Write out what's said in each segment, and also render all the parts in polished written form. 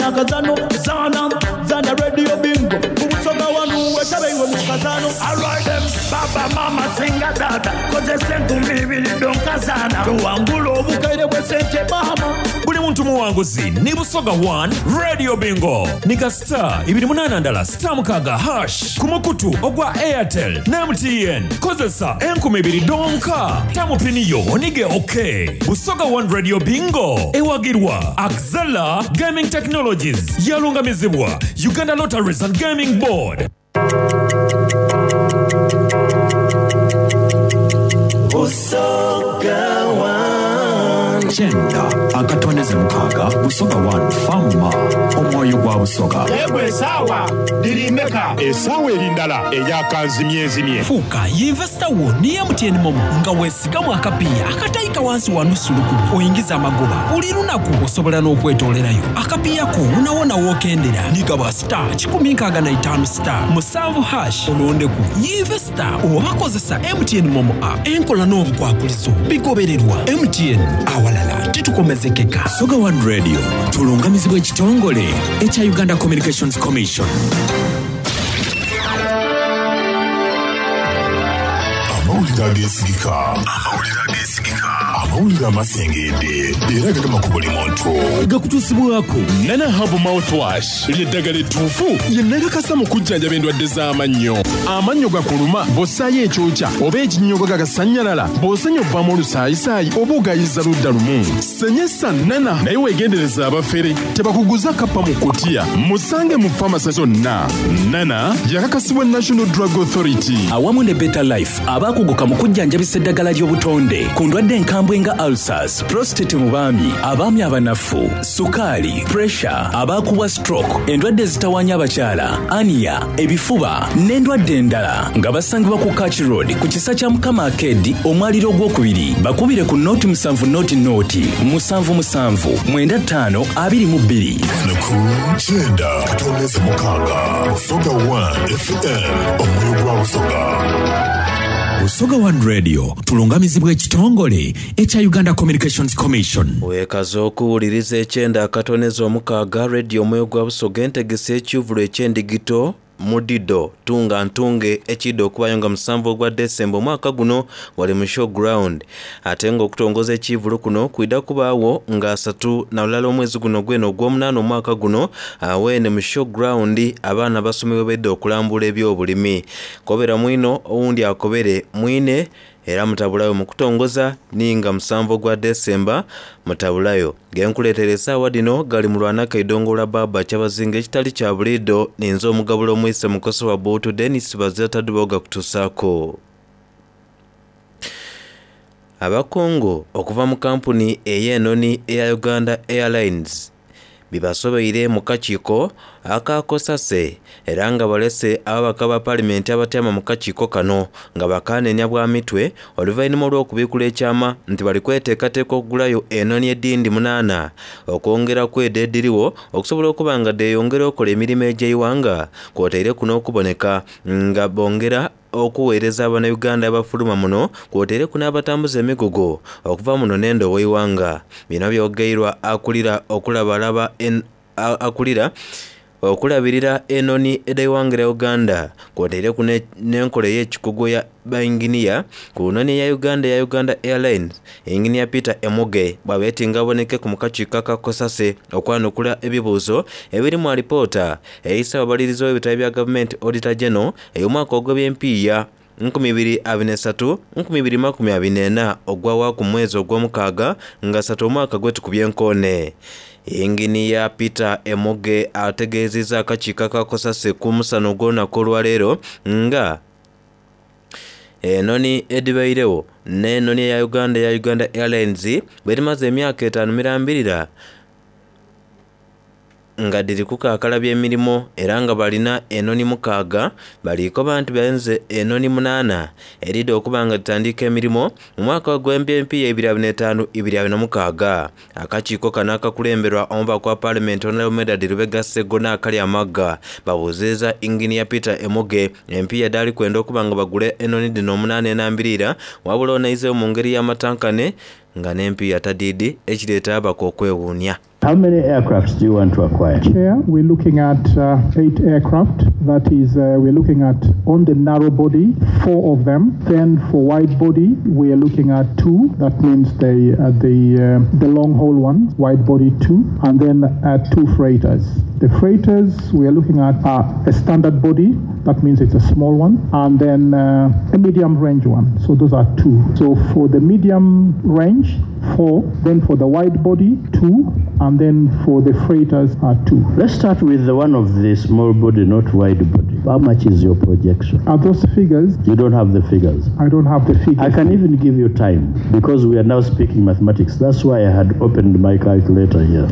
Zana akazano, zana, zana Radio Bingo. Ku Busoga wanu wetabe iwe mu kazano. Alright them, baba mama singa data. Kozesa enkumi ibiri donka zana. Tuwangula obukaire bw'esente mama. Buli muntu muwanguzi ni Busoga One Radio Bingo. Ni star ibiri munaana ndala star mukaaga hash ku mukutu ogwa Airtel ne MTN. Kozesa 2000 donka. Tamu pini yo onige OK. Busoga One Radio Bingo ewagirwa Axela Gaming Technologies, yalungamizibwa Uganda Lotteries and Gaming Board. Busoga One. Kyenda akatondeze mukaaga Busoga One Fama omwoyo gwa Busoga. Yegwe esaawa dhiri meka? Esaawa eri ndala eyakanzimyezimye. Fuuka yinvesita wo ni MTN Momo nga weesigamu akapiiya akataika wansi wa nusu lukumi oyingiza amagoba buli lunaku. Osobola n'okwetoolerayo akapiiya ko wonawona w'okendera. Nigaba star 165 star 7 hash olondeku yinvesita oba kozesa MTN Momo app. Enkola n'obukwakulizo bigobererwa. MTN awalala titukomezekeka. Busoga One Radio tulungamizibwa ekitongole ekya Uganda Communications Commission. Amawulire ageesigika. Amawulire ageesigika. Amawulire amasengedde era gagema ku buli muntu. Gakutuusibwako Nana Herbal Mouthwash ly'eddagala ettuufu lye nakakasa mu kujjanjaba endwadde z'amannyo. Amannyo gakuluma bw'ossaayo ekyokya oba ekinnyogo gagasannyalala, bw'osenya ovaamu olusaayisaayi oba ogayiza ludda lumu. Senyesa Nana naye weegendereza abafere tebakuguza kappa mu kutiya. Musange mu famasi zonna. Nana yakakasibwa National Drug Authority. Awamu ne Better Life abakuguka mu kujjanjabisa eddagala ly'obutonde ku ndwadde enkambwe nga ulcers, prostate mu baami, abaami abanafu, sukaali, pressure, abaakubwa stroke, endwadde ezitawaanya abakyala, ania, ebifuba n'endwadde endala nga basangibwa ku Kach Road ku kisa kya Mukama Arcade omwaliro ogwokubiri. Bakubire ku noti musanvu noti noti musanvu musanvu mwenda ttaano abiri mu bbiri. Ku kyenda katondeze mukaaga Busoga 1 FM omwoyo gwa Busoga. Busoga One Radio tulungamizibwa ekitongole ekya Uganda Communications Commission. Weekaza okuwuliriza ekyenda akatoneza omukaaga Radio omwoyo gwa Busoga entegese ekyuvulo eky'endigito mudido tunga ntunge ekidde okubayo nga musanvu ogwa Desemba omwaka guno wali mu showground, ate nga okutongoza ekivulu kuno kwida kubaawo nga asatu na lulala omwezi guno gwene ogw'omunaana omwaka guno awene mu showground abaana basomebwe bedde okulambula ebyobulimi. Kobera mwino owundi akobere mwine era mutabulayo mu kutongoza ninga musanvu ogwa Desemba mutabulayo. Genkuleetera essaawa dino gali mu lwanaka eidongo lwa baba kyabazinga ekitali kya buliido ninze omugabula omwise mukoso wa Buutu Denis Bazira Taduboga kutusaako. Abakungu okuva mu kampuni ey'enoni eya Uganda Airlines bibasobeire mu kakiiko akakosase era nga balese ababaka ba paalimenti abatyama mu kakiiko kano nga bakanenya bwa mitwe oluvannyuma olw'okubiikula ekyama nti bali kweteekateeka okugulayo enoni edindi 8 okwongera kwedda ediriwo okusobola okuba nga deeyongera okola emirimu egy'eiwanga kwotaire kuno okuboneka nga bongera okuweereza Abannayuganda abafuluma muno kwotaire kuno abatambuza emigugu okuva muno n'endo ow'eiwanga. Bino byogeirwa akulira okulabalaba akulira okulabirira enoni ed'eiwanga lya Uganda kwotaire kuno n'enkola ey'ekikugu ya bainginiya ku noni ya Uganda ya Uganda Airlines Engineer Peter Emuge bw'abeetinga aboneke ku mukakiiko akakosase okwanukula ebibuuzo ebirimu alipoota eyisa ababalirizi w'ebitabo bya gavumenti Auditor General ey'omwaka ogw'ebyempiiya 2023 2024 ogwawa ku mwezi ogw'omukaaga nga ssatu omwaka gwetukubye enkoone. Engineer Peter Emuge ategeezezza akakiiko akakosase ku musana ogw'olunaku olwaleero nga enoni edibairewo n'enoni eya Uganda ya Uganda Airlines bwerimaze emyaka 5 mirambirira nga dhiri kukaakalabya emirimu era nga balina enoni mukaaga baliiko bantu benze enoni 8 eridde okuba nga ditandika emirimu mu mwaka gw'empiiya 2025 2026. Akakiiko kano akakulemberwa omubaka wa paalimenti Honorable Medard Lubega Sseggona akali amagga babuuzirizza Engineer Peter Emuge empiiya daali kwenda okuba nga bagule enoni dhino 8 enambirira wabula onaizeewo mu ngeri y'amatankane nga n'empiiya tadiidi ekireeta abaka okwewuunya. How many aircrafts do you want to acquire? Chair, we're looking at 8 aircraft. That is, we're looking at on the narrow body, 4 of them. Then for wide body, we are looking at 2. That means the long haul one, wide body 2, and then 2 freighters. The freighters, we are looking at a standard body. That means it's a small one, and then a medium range one. So those are 2. So for the medium range, 4, then for the wide body, 2, and then for the freighters are 2. Let's start with the one of the small body, not wide body. How much is your projection? Are those figures? You don't have the figures. I don't have the figures. I can even give you time because we are now speaking mathematics. That's why I had opened my calculator here.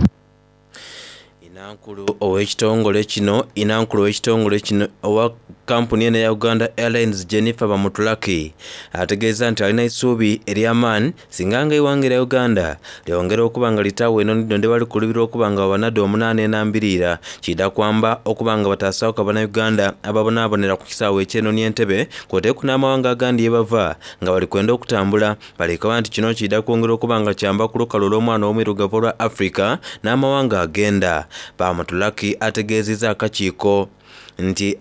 Inankulu ow'ekitongole kino Inankulu ow'ekitongole kino owa kampuni eno eya Uganda Airlines Jennifer Bamutulaki ategeeza nti alina eisuubi ery'amaani singa nga eighanga erya Uganda lyongera okuba nga litaawo enoni dhino dhebali kulubirwa okuba nga babanadde omunaana enambiriira kidha kwamba okuba nga bataasaaku abannayuganda ababonaabonera ku kisaawe eky'enoni Entebbe kwoteeku n'amawanga agandi yebava nga bali kwenda okutambula balikoba nti kino kidha kwongera okuba nga kyamba ku lukalu olw'omwana omwirugavu olwa Africa n'amawanga agenda. Bamutulaki ategeezezza akakiiko nti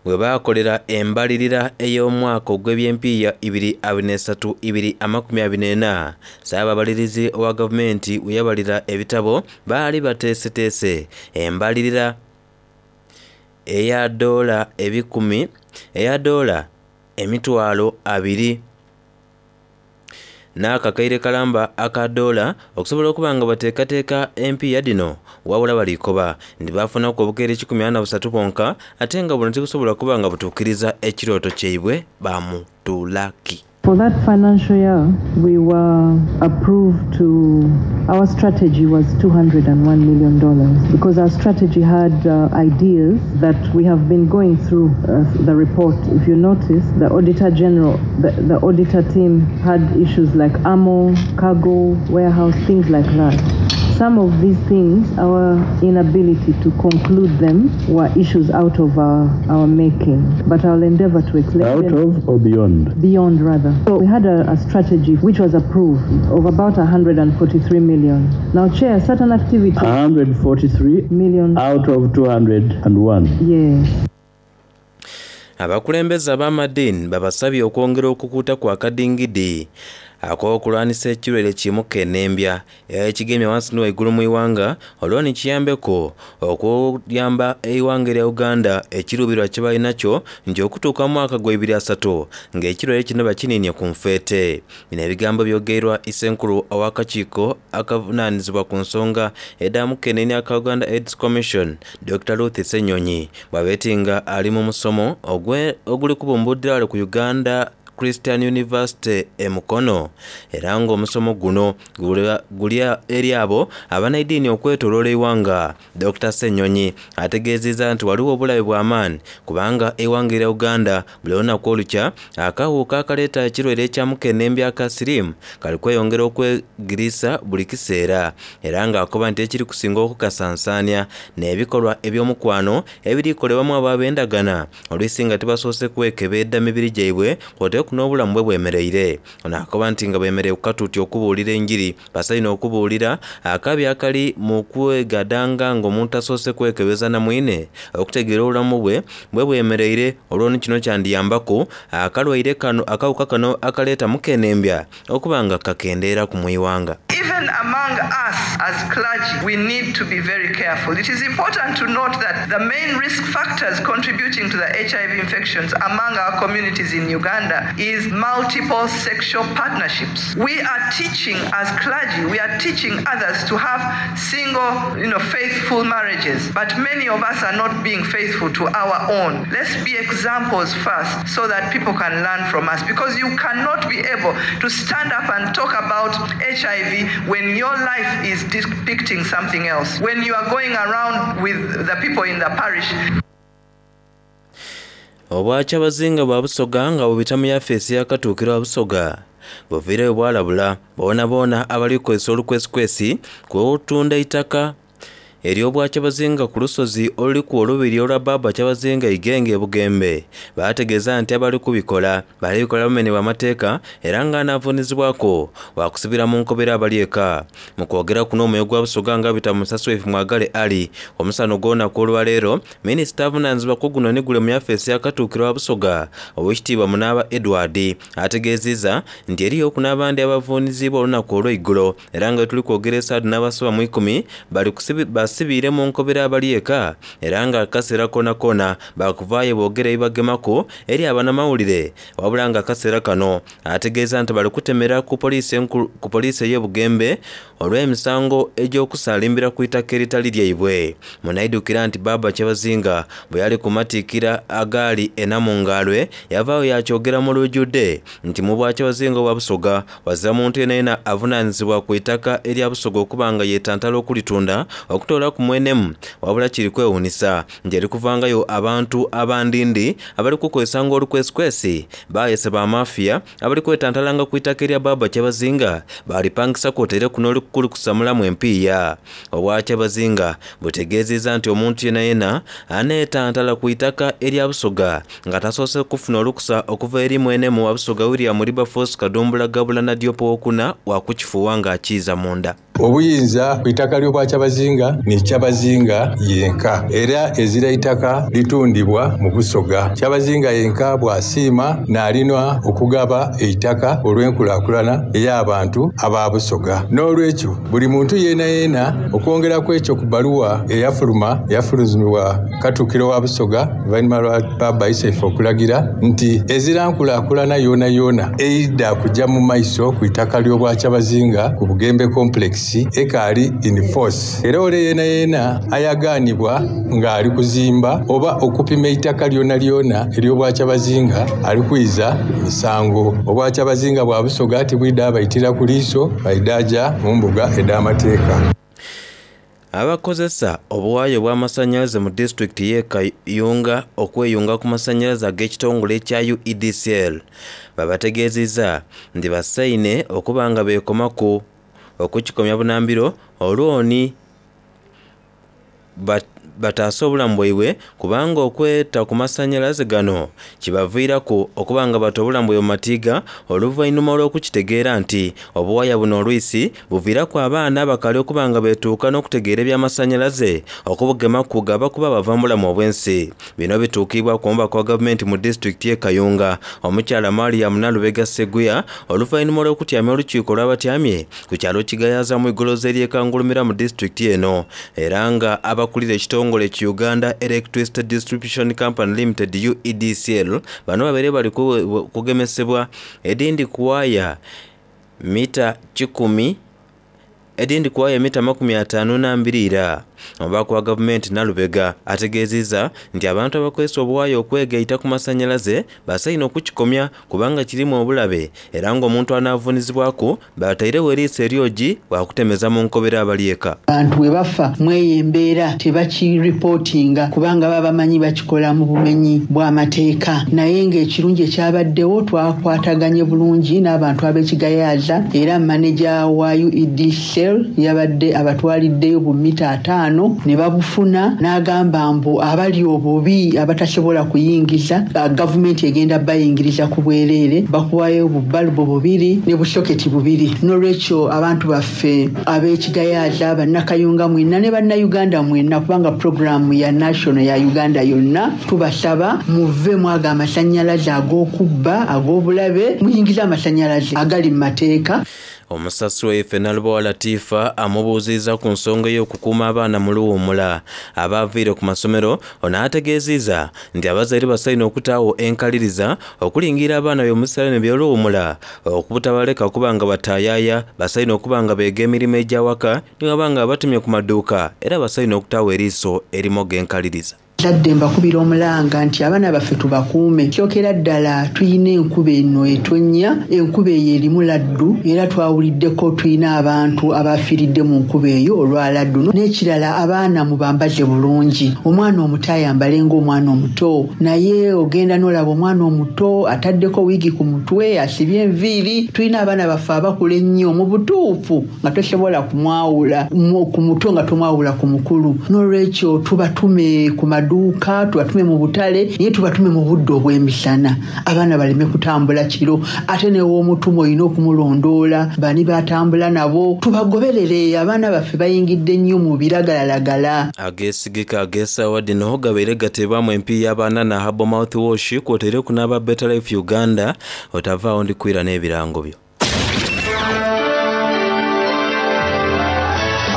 webaakolera embalirira ey'omwaka ogw'ebyempiiya 2023 2024 Ssaababalirizi owa gavumenti weyabalira ebitabo baali bateeseteese embalirira eya dola ebikumi eya dola 20,000 n'akakaire kalamba aka dola okusobola okuba nga bateekateeka empiiya dhino wabula balikoba nti baafunaku obukeire 143 bwonka ate nga buno tibusobola kuba nga butuukiriza ekirooto kyaibwe Bamutulaki. For that financial year, we were approved to, our strategy was $201 million because our strategy had ideas that we have been going through the report. If you notice, the Auditor General, the auditor team had issues like ammo, cargo, warehouse, things like that. Some of these things, our inability to conclude them were issues out of our making. But I'll endeavor to explain Out them. of or beyond? Beyond, rather. So we had a strategy which was approved of about 143 million. Now, Chair, certain activities... 143 million out of 201. Yes. Abakulembeze ab'amadiini babasabye okwongera okukuuta ku akadingidi ak'okulwanisa ekirwaire kimuka enembya ekigemye wansi ni waigulu mu ighanga olwo ni kiyambeko okuyamba eighanga erya Uganda ekiruubirwa kye balinakyo nti okutuuka mu mwaka gwa 2030 ng'ekirwaire kino bakiniinye ku nfeete. Bino ebigambo byogeirwa Isenkulu ow'akakiiko akavunaanyizibwa ku nsonga edha mukenenya aka Uganda AIDS Commission Dr. Ruth Ssenyonyi bw'abeeti nga ali mu musomo oguli kubumbuddira wale ku Uganda Christian University e Mukono era ng'omusomo guno guli eri abo abanaidiini okwetooloola eighanga. Dr. Ssenyonyi ategeezezza nti waliwo obulabe bw'amaanyi kubanga eighanga erya Uganda buli lunaku olukya akawuka akaleeta ekirwaire ekya mukennembi aka siriimu kali kweyongera okwegiriisa buli kiseera era ng'akoba nti ekiri kusinga okukasansaanya n'ebikolwa eby'omukwano ebirikolebwamu abo ab'endagana oluisi nga tibasoose kwekebedda mibiri gyaibwe kwoteeku n'obulamu bwe bwemereire. Ono akoba nti nga bwemereire ku katuuti okubuulira enjiri basaine okubuulira akabi akali mu kwegadanga ng'omuntu asoose kwekebeza na mwine okutegeera obulamu bwe bwe bwemereire olwo ni kino kyandiyambaku akalwaire kano akawuka kano akaleeta mukenembya okuba nga kakendeera ku mwiwanga. Even among us as clergy, we need to be very careful. It is important to note that the main risk factors contributing to the HIV infections among our communities in Uganda is multiple sexual partnerships. We are teaching as clergy, we are teaching others to have single, faithful marriages. But many of us are not being faithful to our own. Let's be examples first so that people can learn from us, because you cannot be able to stand up and talk about HIV when your life is depicting something else, when you are going around with the people in the parish. Obwakyabazinga bwa Busoga nga bubita mu yafeesi yakatuukiro wa Busoga buviireyo bwalabula boona boona abali kukozesa olukwesikwesi kutunda eitaka ery'Obwakyabazinga ku lusozi oluliku olubiri olwa Bbaabba Kyabazinga Igenge e Bugembe baategeeza nti abali kubikola bali bikola bumenhi bwa mateeka era nga anaavuunizibwaku waakusibira mu nkobera abali eka. Mu kwogera kuno omwoyo gwa Busoga nga abita mu musasi waife Mwagale Ali omusana ogw'olunaku olwaleero, Minisita avunaanyizibwa ku guno ni gule mu yafeesi ya Katuukiro wa Busoga, Owekitiibwa Munaaba Edward ategeeziiza nti eriyo ku n'abandi abavuuniziibwa olunaku olw'eigulo era nga wetuli kwogera esaadu n'abasoba mu ikumi bali basibiire mu nkobera abali eka era nga akaseera koonakoona baakuvaayo boogere ebibagemaku eri abanamawulire wabula nga akaseera kano ategeeza nti bali kutemera ku poliisi ku poliisi ey'e Bugembe olw'emisango egy'okusaalimbira ku itaka eritali lyaibwe. Munaidhukira nti Bbaabba Kyabazinga bwe yali ku matikkira agaali e Namungalwe yavaayo yaakyogera mu lujjudde nti mu Bwakyabazinga obwa Busoga wazira muntu yenayena avunaanyizibwa ku itaka erya Busoga okuba nga yeetantala okulitunda okutoolaku mwenemu wabula kiri kwewuunisa nti erikuvangayo abantu abandindi abali kukozesanga olukwesikwesi baayese ba mafiya abali kwetantalanga ku itaka erya Bbaabba Kyabazinga baalipangisa kwotaire kuno olikusamulamu empiiya. Obwakyabazinga butegeezezza nti omuntu yenayena aneetantala ku itaka erya Busoga nga tasoose kufuna olukusa okuva eri mwenemu wa Busoga William Wilberforce Kadumbula Gabula Nadiope owokuna wakukifuuwa ng'akiiza munda. Obuyinza ku itaka ly'Obwakyabazinga ni Kyabazinga yenka, era ezira itaka litundibwa mu Busoga. Kyabazinga yenka bw'asiima n'alinwa okugaba eitaka olw'enkulaakulana ey'abantu aba Busoga. N'olwekyo buli muntu yeena yeena okwongeraku ekyo ku bbaluwa eyafuluma eyafulumizibwa Katuukiro wa Busoga oluvannyuma lwa Bbaabba Isaife okulagira nti ezira nkulaakulana yoona yoona eidha kujja mu maiso ku itaka ly'Obwakyabazinga ku Bugembe Complex ekaali in force. Era ole yeenayeena ayagaanibwa ng'ali kuzimba oba okupima eitaka lyonalyona ery'Obwakyabazinga ali kwiza misango. Obwakyabazinga bwa Busoga tibwidha baitira ku liiso, baidha ja mu mbuga edh'amateeka. Abakozesa obuwaya obw'amasannyalaze mu disitulikiti y'e Kayunga okweyunga ku masannyalaze ag'ekitongole ekya UEDCL babategeezizza nti basaine okuba nga beekomaku okukikomya bunambiro olwoni bataase obulamu bwaibwe kubanga okweta ku masannyalaze gano kibaviiraku okuba nga bata obulamu bwaibwe mu matiiga oluvannyuma olw'okukitegeera nti obuwaya buno olwisi buviiraku abaana abakali okuba nga beetuuka n'okutegeera eby'amasannyalaze okubugemaku gaba kuba bava mu bulamu obw'ensi. Bino bituukibwa ku mubaka wa gavumenti mu disitulikiti y'e Kayunga omukyala Mariam Nalubega Sseguya oluvannyuma olw'okutyamya olukiiko olw'abatyamye ku kyalo Kigayaza mu igoloza ery'e Kangulumira mu disitulikiti eno era nga abakulira ekitongole ki Uganda Electricity Distribution Company Limited UEDCL bano babaire bali kugemesebwa edindi ku waaya mita kikumi edindi ku waaya mita 52 ira. Omubaka wa gavumenti Nalubega ategeezezza nti abantu abakozesa obuwaya okwegaita ku masannyalaze basaine okukikomya kubanga kirimu obulabe era ng'omuntu anaavuunizibwaku batairewo eriiso eryogi bwakutemeza mu nkobera abali eka. Abantu bwe bafa mweyo embeera tebakiripootinga kubanga baba bamanyi bakikola mu bumenyi bw'amateeka, naye ng'ekirungi ekyabaddewo twakwataganye bulungi n'abantu ab'e Kigayaaza era maneja wa UED Cell yabadde abatwaliddeyo bu mita 50 ne babufuna n'agamba mbu abali obubi abatasobola kuyingiza gavumenti egenda bayingiriza ku bwereere, bakuwayo bu balubu bubiri ne busoketi bubiri. N'olwekyo abantu baffe ab'e Kigayaaza, bannakayunga mwenna ne bannayuganda mwenna, kubanga puroguraamu ya national ya Uganda yonna, tubasaba muve mwaga amasannyalaze ag'okubba ag'obulabe, muyingize amasannyalaze agali mu mateeka. Omusasi waife Nalubowa Latifa amubuuzizza ku nsonga ey'okukuuma abaana mu luwummula abaaviire ku masomero. Ono ategeezizza nti abazaire basaine okutaawo enkaliriza okulingira abaana be mu biseera bino eby'oluwummula okubutabaleka kuba nga bataayaaya, basaine okuba nga beega emirimu egy'awaka niwaba nga babatumye ku maduuka era basaine okutaawo eriiso erimoga enkaliriza. Abazadde mbakubira omulanga nti abaana baffe tubakuume. Kyokera ddala tulina enkuba eno etonnya, enkuba eyo erimu laddu era twawuliddeko tulina abantu abafiiridde mu nkuba eyo olwa laddu. N'ekirala abaana mubambaze bulungi, omwana omuto ayambale ng'omwana omuto naye ogenda n'olaba omwana omuto ataddeko wiigi ku mutwe, asibye enviiri. Tulina abaana baffe abakula ennyo mu butuufu nga tosobola kumwawula ku muto nga tomwawula ku mukulu. N'olwekyo tubatume ku maduuka, tubatume mu butale naye tubatume mu budde obw'emisana abaana baleme kutambula kiro. Ate n'ew'omutuma olina okumulondoola bani b'atambula nabo tubagoberere. Abaana baffe bayingidde nnyo mu biragalalagala. Ageesigika ag'esaawa dhino gabaire gateebwamu empiiya abanana Herbal Mouthwash kw'otaireku n'aba Better Life Uganda. Otavaagho ndi kwira n'ebirango byo.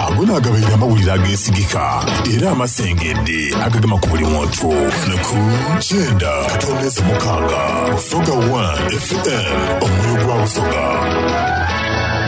Ago naagabaire amawulire ageesigika era amasengedde agagema ku buli muntu ku kyenda katondeze mukaaga Busoga One FM omwoyo gwa Busoga.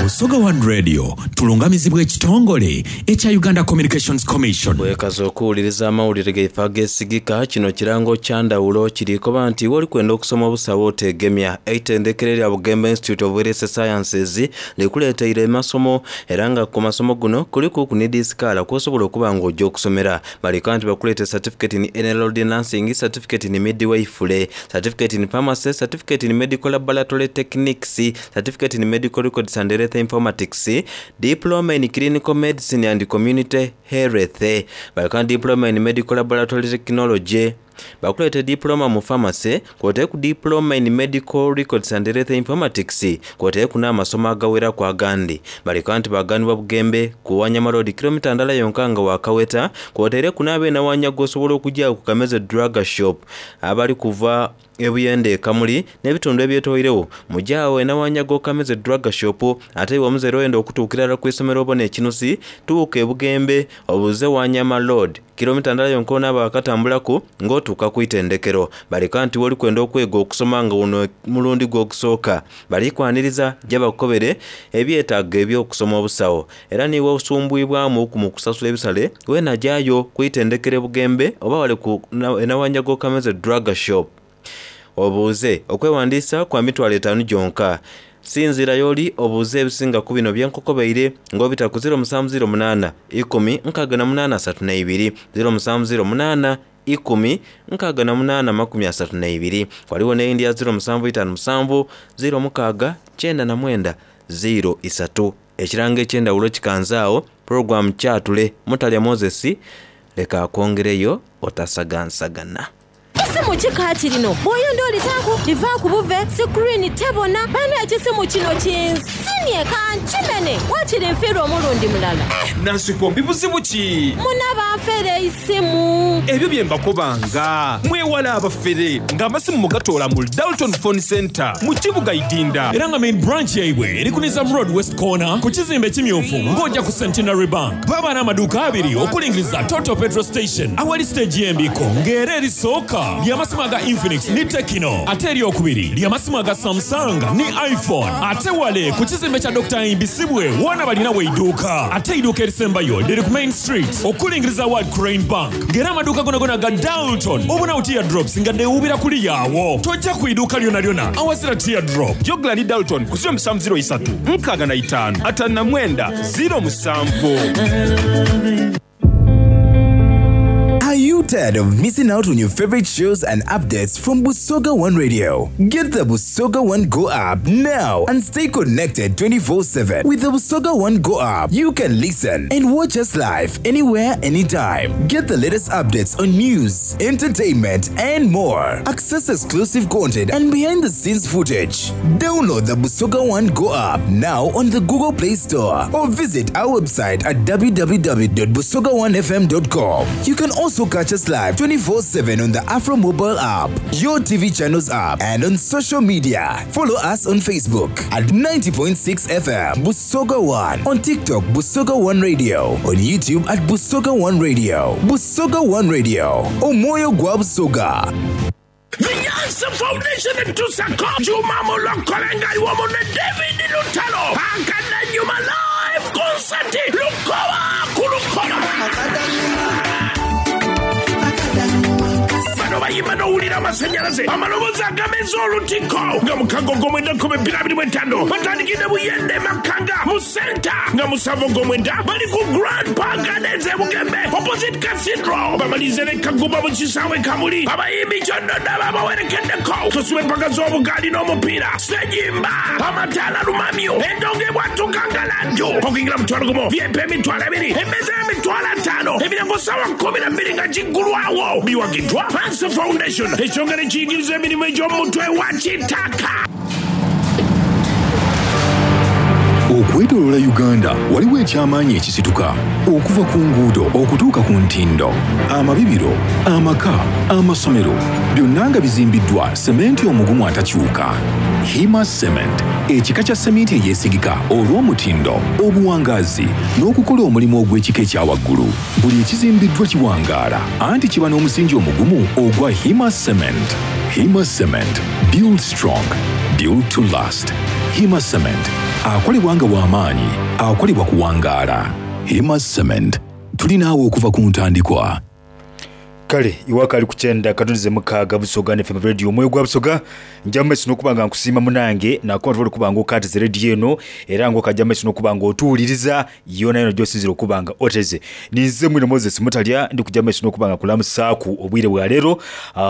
Busoga One Radio tulungamizibwa ekitongole ekya Uganda Communications Commission. Weekaza okuwuliriza amawulire gaife ageesigika, kino kirango kya ndhawulo kiri koba nti iwe oli kwenda okusoma obusawo oteegemya. Eitendekero erya Bugembe Institute of Health Sciences likuleeteire amasomo era nga ku masomo guno kuliku ni dhi sikaala kw'osobola okuba nga oja okusomera. Baleka nti bakuleete Certificate in Enrolled Nursing, Certificate in Midwifery, Certificate in Pharmacy, Certificate in Medical Laboratory Techniques, Certificate in Medical Records and Health Informatics, Diploma in Clinical Medicine and Community Health, baleka Diploma in Medical Laboratory Technology, bakuleete Diploma mu Pharmacy, kwoteeku Diploma in Medical Records and Health Informatics, kwoteeku n'amasomo agaweraku agandi. Baleka nti baganibwa Bugembe ku Wanyama Road kilomita ndala yonka nga wakaweta, kwotaireku n'abeena Wanyaga osobola okujaawo ku Kameze Drug Shop abali kuva e Buyende e Kamuli n'ebitundu ebyetoiregho. Muje agho e Nawanyaga Okameze Drug Shop ate iwe omuzaire oyenda okutuukira irala ku isomero obone ekinusi, tuuka e Bugembe obuuze Wanyama Road kilomita ndala yonka onaaba wakatambulaku ng'otuuka ku itendekero. Baleka nti woli kwenda okwega okusoma nga guno mulundi gwo ogusooka, bali kwaniriza ja bakukobere ebyetaago eby'okusoma obusawo. Era niiwe osumbwibwamuuku mu kusasula ebisale, weena jayo ku itendekero e Bugembe oba wale ku e Nawanjago Okameze Drug Shop obuuze. Okwewandiisa kwa mitwalo etaanu gyonka. Sinziira y'oli obuuze ebisinga ku bino bye nkukobeire ng'obita ku 0708 10 68 32, 0708 10 68 32. Ghaligho n'eyindi ya 0757 06 99 03. Ekirango eky'endhawulo kikanze agho, pulogulaamu Kyatule Mutalya Moses leka akwongereyo otasagansagana. Kisimu ki kaakirino? Bw'oyenda olitaaku, livaaku buve, sikuriini tebona. Bane ekisimu kino kinsimye kankimene. Waakiri nfiirwa omulundi mulala. Nansikombi buzibu ki? Muna banfera eisimu. Ebyo bye mbakobanga. Mwewale abafere nga amasimu mugatoola mu Dalton Phone Centre mu kibuga Idinda. Era nga main branch yaibwe eri ku Nizam Road West Corner ku kizimbe ekimyufu ng'oja ku Centenary Bank. Baba n'amaduuka abiri okulingiriza Total Petrol Station awali siteegi y'embiiko ng'era erisooka ly'amasimu aga Infinix ni Tecno ate eryokubiri ly'amasimu aga Samsung ni iPhone. Ate wale ku kizimbe kya Dokita Ahimbisibwe woona balinawo eiduuka. Ate eiduuka erisembayo liri ku Main Street okulingiriza awali Crane Bank ng'era amaduuka gonagona aga Dalton obonagho teardrops nga dhewuubira kuliya agho. Toja ku iduuka lyonalyona awazira teardrop. Jogla ni Dalton ku 0703 65 59 07. Are you tired of missing out on your favorite shows and updates from Busoga One Radio? Get the Busoga One Go app now and stay connected 24/7. With the Busoga One Go app, you can listen and watch us live anywhere, anytime. Get the latest updates on news, entertainment, and more. Access exclusive content and behind the scenes footage. Download the Busoga One Go app now on the Google Play Store or visit our website at www.busoga1fm.com. You can also catch us live 24/7 on the Afro Mobile app, your TV channels app, and on social media. Follow us on Facebook at 90.6 FM Busoga One, on TikTok Busoga One Radio, on YouTube at Busoga One Radio, Busoga One Radio, Omoyo Gwa Busoga. The Yansa Foundation etusako Juma Mulokole nga iwomu ne David Lutalo Akadanyuma live concert Lukoba ku Lukoba. Omuliro, amasanyalaze, amaloboozi agameza olutiko nga mukaga Ogwomwenda 2025. Batandikidde Buyende Makanga mu senta nga musanvu Ogwomwenda bali ku Grand Park Gardens e Bugembe opposite Cathedral. Bamalirize ne Kagumba mu kisaawe e Kamuli. Abayimbi Kyoddodo ababawerekeddeko. Tusubwa empaka z'obugaali n'omupiira, Ssejimba, amataala lumamyo, endongo ebwatuka ngalanju. Okuyingira mutwalo gumu, VIP emitwalo ebiri, emmeeza y'emitwalo ataano, emiryango ssaawa 12 nga giggulwawo. Biwagiddwa Panso Foundation, ekitongole ekiyigiriza emirimu egy'omu mutwe wa Kitaka. Okwetoloola Uganda waliwo eky'amaanyi ekisituka okuva ku nguudo okutuuka ku ntindo, amabibiro, amaka, amasomero byonna nga bizimbiddwa sementi omugumu atakyuka. Hima Cement, ekika kya seminti eyeesigika olw'omutindo, obuwangaazi n'okukola omulimu ogw'ekika ekya waggulu. Buli ekizimbiddwa kiwangaala anti kiba n'omusingi omugumu ogwa Hima Cement. Hima Cement, build strong, build to last. Hima Cement, akolebwa nga w'amaanyi, akolebwa kuwangaala. Hima Cement, tuli naawe okuva ku ntandikwa. Kale iwaka ali kukyenda katoneze mukaaga Busoga ne FM Radio omwoyo gwa Busoga nja mumaiso n'okuba nga nkusiima munange nakuba tubale okuba nga okatize radio eno era nga okajja mumaiso n'okuba nga otuwuliriza yona yona gyosinzira okuba nga oteze. Ninze mwino Moses Mutalya ndi kujja mumaiso n'okuba nga kulamusaaku obwire bwa leero.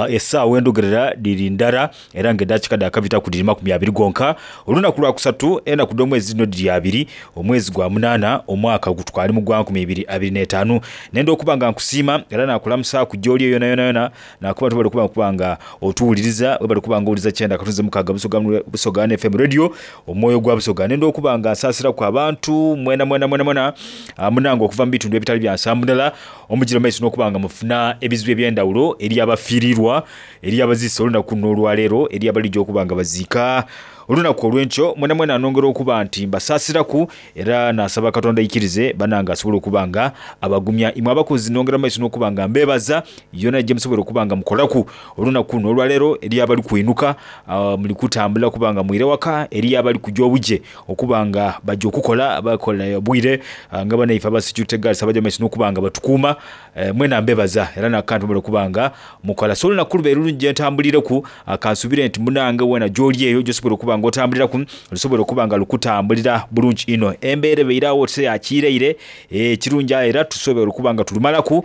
Essaawa endogerera dhiri ndala era nga eddakiika dhaakabitaku dhiri 20 gonka. Olunaku lwa kusatu enaku dh'omwezi dhino dhiri abiri omwezi gwa munaana omwaka gutwali mu gwa 2025. Nenda okuba nga nkusiima era naakulamusaaku gy'oli eyo yonayonayona naakuba tubale okuba okuba nga otuwuliriza webale okuba nga owuliriza kyenda katunze mukaaga Busoga, Busoga FM Radio omwoyo gwa Busoga. Nenda okuba nga nsaasiraku abantu mwena mwena mwena mwena munange okuva mu bitundu ebitali bya nsambu ndala omugira maiso n'okuba nga mufuna ebizibu eby'endawulo eri abafiirirwa eri abaziise olunaku luno olwaleero eri abalija okuba nga baziika olunaku olw'enkyo mwena mwena nongera okuba nti mbasaasiraku era nasaba Katonda aikirize banange asobole okuba nga abagumya. Imwe abakozi nongera maiso n'okuba nga mbebaza yona gye musobola okuba nga mukolaku olunaku luno olwaleero eri abali kwinuka muli kutambula okuba nga mwire waka eri abali kuja obuje okuba nga baja okukola bakola obwire nga banaife aba security guards abaja maiso n'okuba nga batukuuma mwena mbebaza era nakantu mubale okuba nga mukola. So olunaku lubaire lulungi gye ntambulireku kansubire nti munange wena gyoli eyo gyosobola okuba nga otambuliraku lusobola okuba nga lukutambulira bulungi inho. Embeera ebaire awo otise yakiireire ekirungi aye era tusobola okuba nga tulumalaku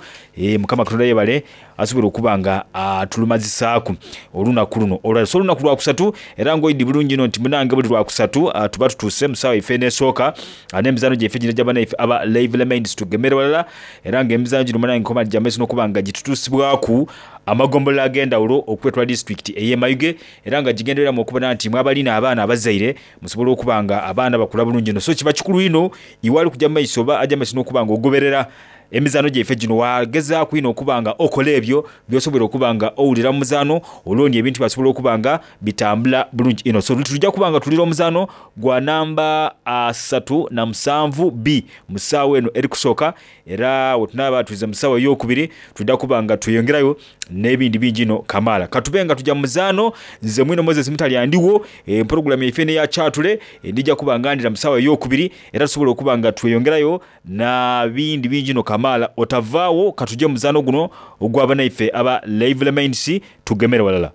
Mukama Katonda yebale asobola okuba nga atulumazisaaku olunaku luno olwaleero. So olunaku lwakusatu era ng'oidhi bulungi inho nti munange buli lwakusatu tuba tutuuse mu saawa yaife n'esooka n'emizaano gyaife gino egya banaife aba Live Minds tugemere walala era nga emizaano gino munange nkoma gya maiso n'okuba nga gitutuusibwaku amagombolola ag'endawulo okwetwala disitulikiti ey'e Mayuge era nga gigendereramu okubona nti mwe abalina abaana abazaire musobola okuba nga abaana bakula bulungi inho. So kiba kikulu inho iwe ali kuja mu maiso oba aja mu maiso n'okuba nga ogoberera emizaano gyaife gino wagezaaku inho okuba nga okola ebyo by'osobola okuba nga owulira mu muzaano olwo ni ebintu byasobola okuba nga bitambula bulungi inho. So tuja kuba nga tulira omuzaano gwa namba 37 B mu saawa eno eri kusooka era wetunaaba twize mu saawa eyokubiri twidha kuba nga tweyongerayo n'ebindi bingi inho kamaala. Katube nga tuja mu muzaano nze mwino Moses Mutalya ndigho empologulamu yaife eno eya Kyatule ndija kuba nga ndira mu saawa eyokubiri era tusobola okuba nga tweyongerayo na bindi bingi inho kamaala. Otavaagho katuje mu muzaano guno ogwa banaife aba Lively Minds tugemere walala.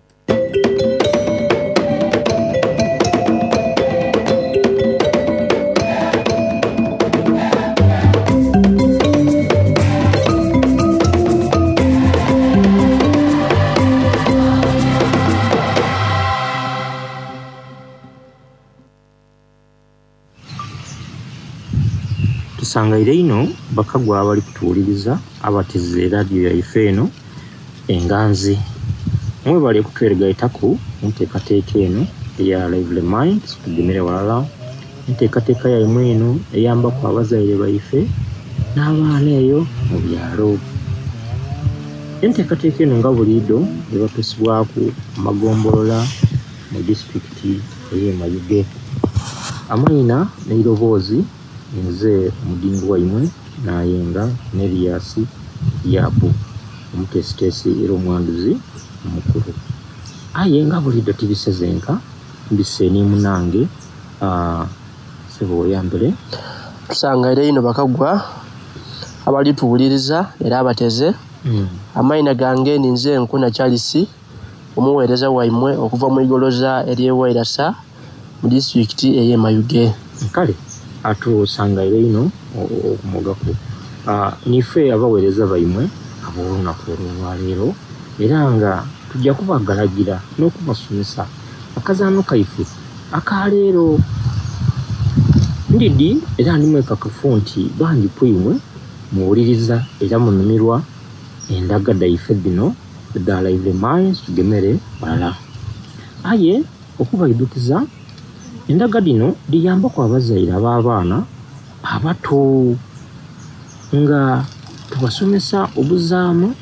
Tusangaire inho bakagwa abali kutuwuliriza abateze laadiyo yaife eno enganzi. Mwebale kutwegaitaku mu nteekateeka eno eya Lively Minds Tugemere Ghalala. Enteekateeka yaimwe eno eyambaku abazaire baife n'abaana eyo mu byalo. Enteekateeka eno nga buliidho ebatuusibwaku amagombolola mu disitulikiti ey'e Mayuge. Amaina n'eiroboozi nze omudingi waimwe Nayenga Nerias Yabu omuteesiteesi era omwanduzi omukulu. Aye nga buliidho tibise zenka, mbise ni munange ssebo weyambule. Tusangaire inho bakagwa abali tuwuliriza era abateze. Amaina gange ninze Nkuna Charles. Omuweereza waimwe okuva mu igoloza ery'e Wairasa mu disitulikiti ey'e Mayuge. Kale atusangaire inho okumogaku niife abaweereza baimwe ab'olunaku olwaleero era nga tujja kubagalagira n'okubasomesa akazaano kaife akaleero. Ndidi era ndi mwekakafu nti bangi ku imwe muwuliriza era munumirwa endaga dhaife dhino edha Lively Minds Tugemere Ghalala. Aye okubaidhukiza, endaga dhino dhiyambaku abazaire ab'abaana abato nga tubasomesa obuzaano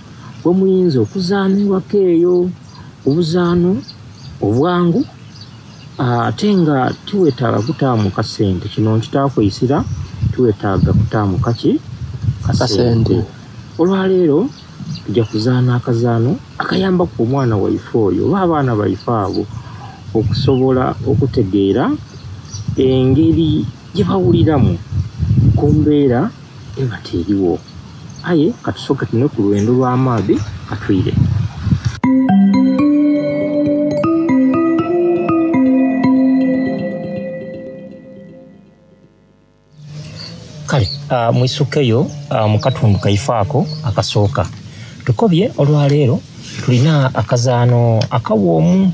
bwemuyinza okuzaana ewaka eyo, obuzaano obwangu ate nga tiwetaaga kutaamu kasente. Kino nkitaaku eisira, tiwetaaga kutaamu kaki? Kasente. Olwaleero tuja kuzaana akazaano akayambaku omwana waife oyo oba abaana baife abo okusobola okutegeera engeri gyebawuliramu ku mbeera eba teriwo. Aye katusooke tunwe ku lwendo lw'amaadhi katwire. Kale mwisukeyo mu katundu kaife ako akasooka. Tukobye olwaleero tulina akazaano akawoomu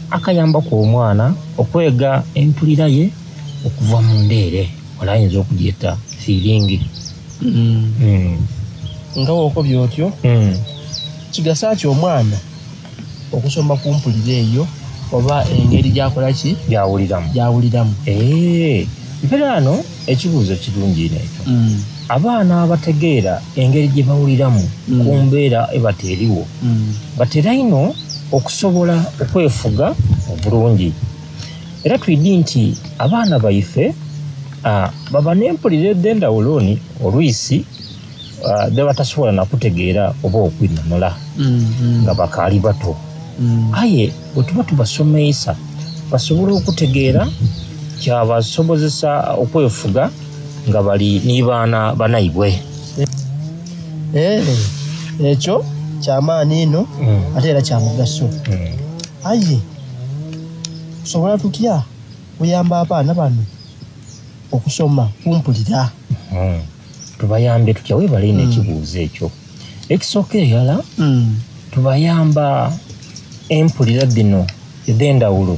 akayambaku omwana okwega empulira ye okuva munda ere, ole ayinza okugyeta fiiringi. Nga bw'okobye otyo, kigasa ki omwana okusoma ku mpulira eyo oba engeri gy'akola ki? Gy'awuliramu. Gy'awuliramu. Eeh, mperaano ekibuuzo kirungi inho ekyo. Abaana abategeera engeri gye bawuliramu ku mbeera eba teriwo, batera inho okusobola okwefuga obulungi. Era twidi nti abaana baife baba n'empulira edh'endhawulo ni olwisi dhebatasobola na kutegeera oba okwinhonhola nga bakaali bato. Aye bwetuba tubasomeisa basobola okutegeera kyabasobozesa okwefuga nga bali ni baana banaibwe. Ekyo kyamaani inho ate era kya mugaso. Aye tusobola tutya okuyamba abaana bano okusoma ku mpulira? Tubayambe tutya? Webale inho ekibuuzo ekyo. Ekisookera irala, tubayamba empulira dhino edh'endhawulo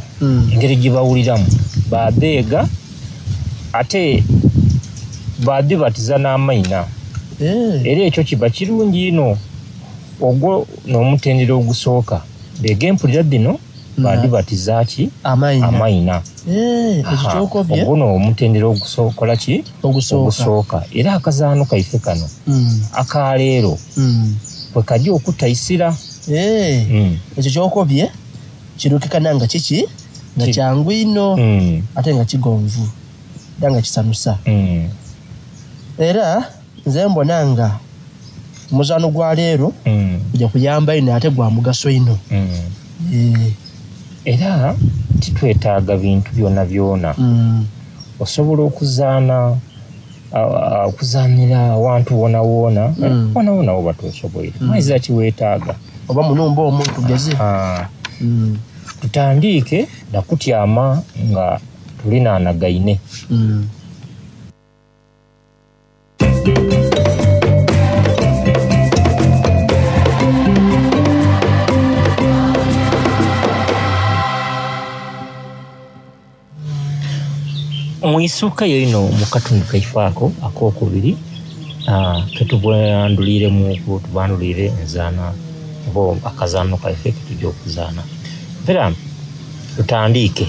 engeri gyebawuliramu badheega ate badhibatiza n'amaina. Era ekyo kiba kirungi inho. Ogwo n'omutendera ogusooka. Beega empulira dhino badhibatiza ki? Amaina. Ekyo ky'okobye. Ogwo n'omutendera ogusokola ki? Ogusooka. Era akazaano kaife kano akaleero kwekaja okutaisira. Ekyo ky'okobye kirukikana nga kiki? Nga kyangu inho ate nga kigonvu era nga kisanusa. Era nze mbona nga omuzaano gwa leero guja kuyamba inho ate gwa mugaso inho. Era titwetaaga bintu byonabyona. Osobola okuzaana okuzaanira awantu wonawona, wonawona woba tosoboire. Waizira kiwetaaga. Oba mu nhumba omwo tugeze. Tutandiike na kutyama nga tulinanagaine. Mwisukayo inho mu katundu kaife ako akokubiri ketubandhuliremuku, tubandhuliire enzaana oba akazaano kaife ketuja okuzaana. Era tutandiike.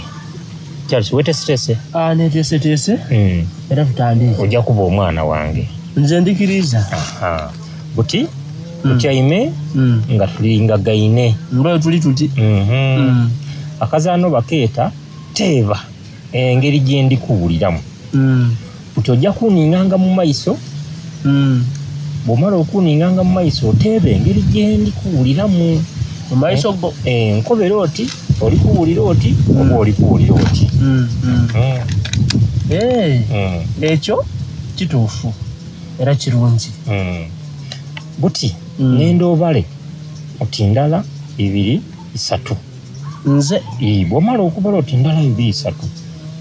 Charles weteeseteese? Neteeseteese era tutandiike. Oja kuba omwana wange. Nze ndikiriiza. Buti tutyaime nga tulingagaine. Nga tuli tuti. Akazaano bakeeta teeba engeri gyendi kuwuliramu. Buti ojja kuninganga mu maiso, bwomala okuninganga mu maiso oteebe engeri gyendi kuwuliramu. Mu maiso go? Nkobera oti oli kuwulira oti oba oli kuwulira oti. Ekyo kituufu era kirungi. Buti nenda obale oti ndala, ibiri, isatu. Nze? Ii, bw'omala okubala oti ndala, ibiri, isatu,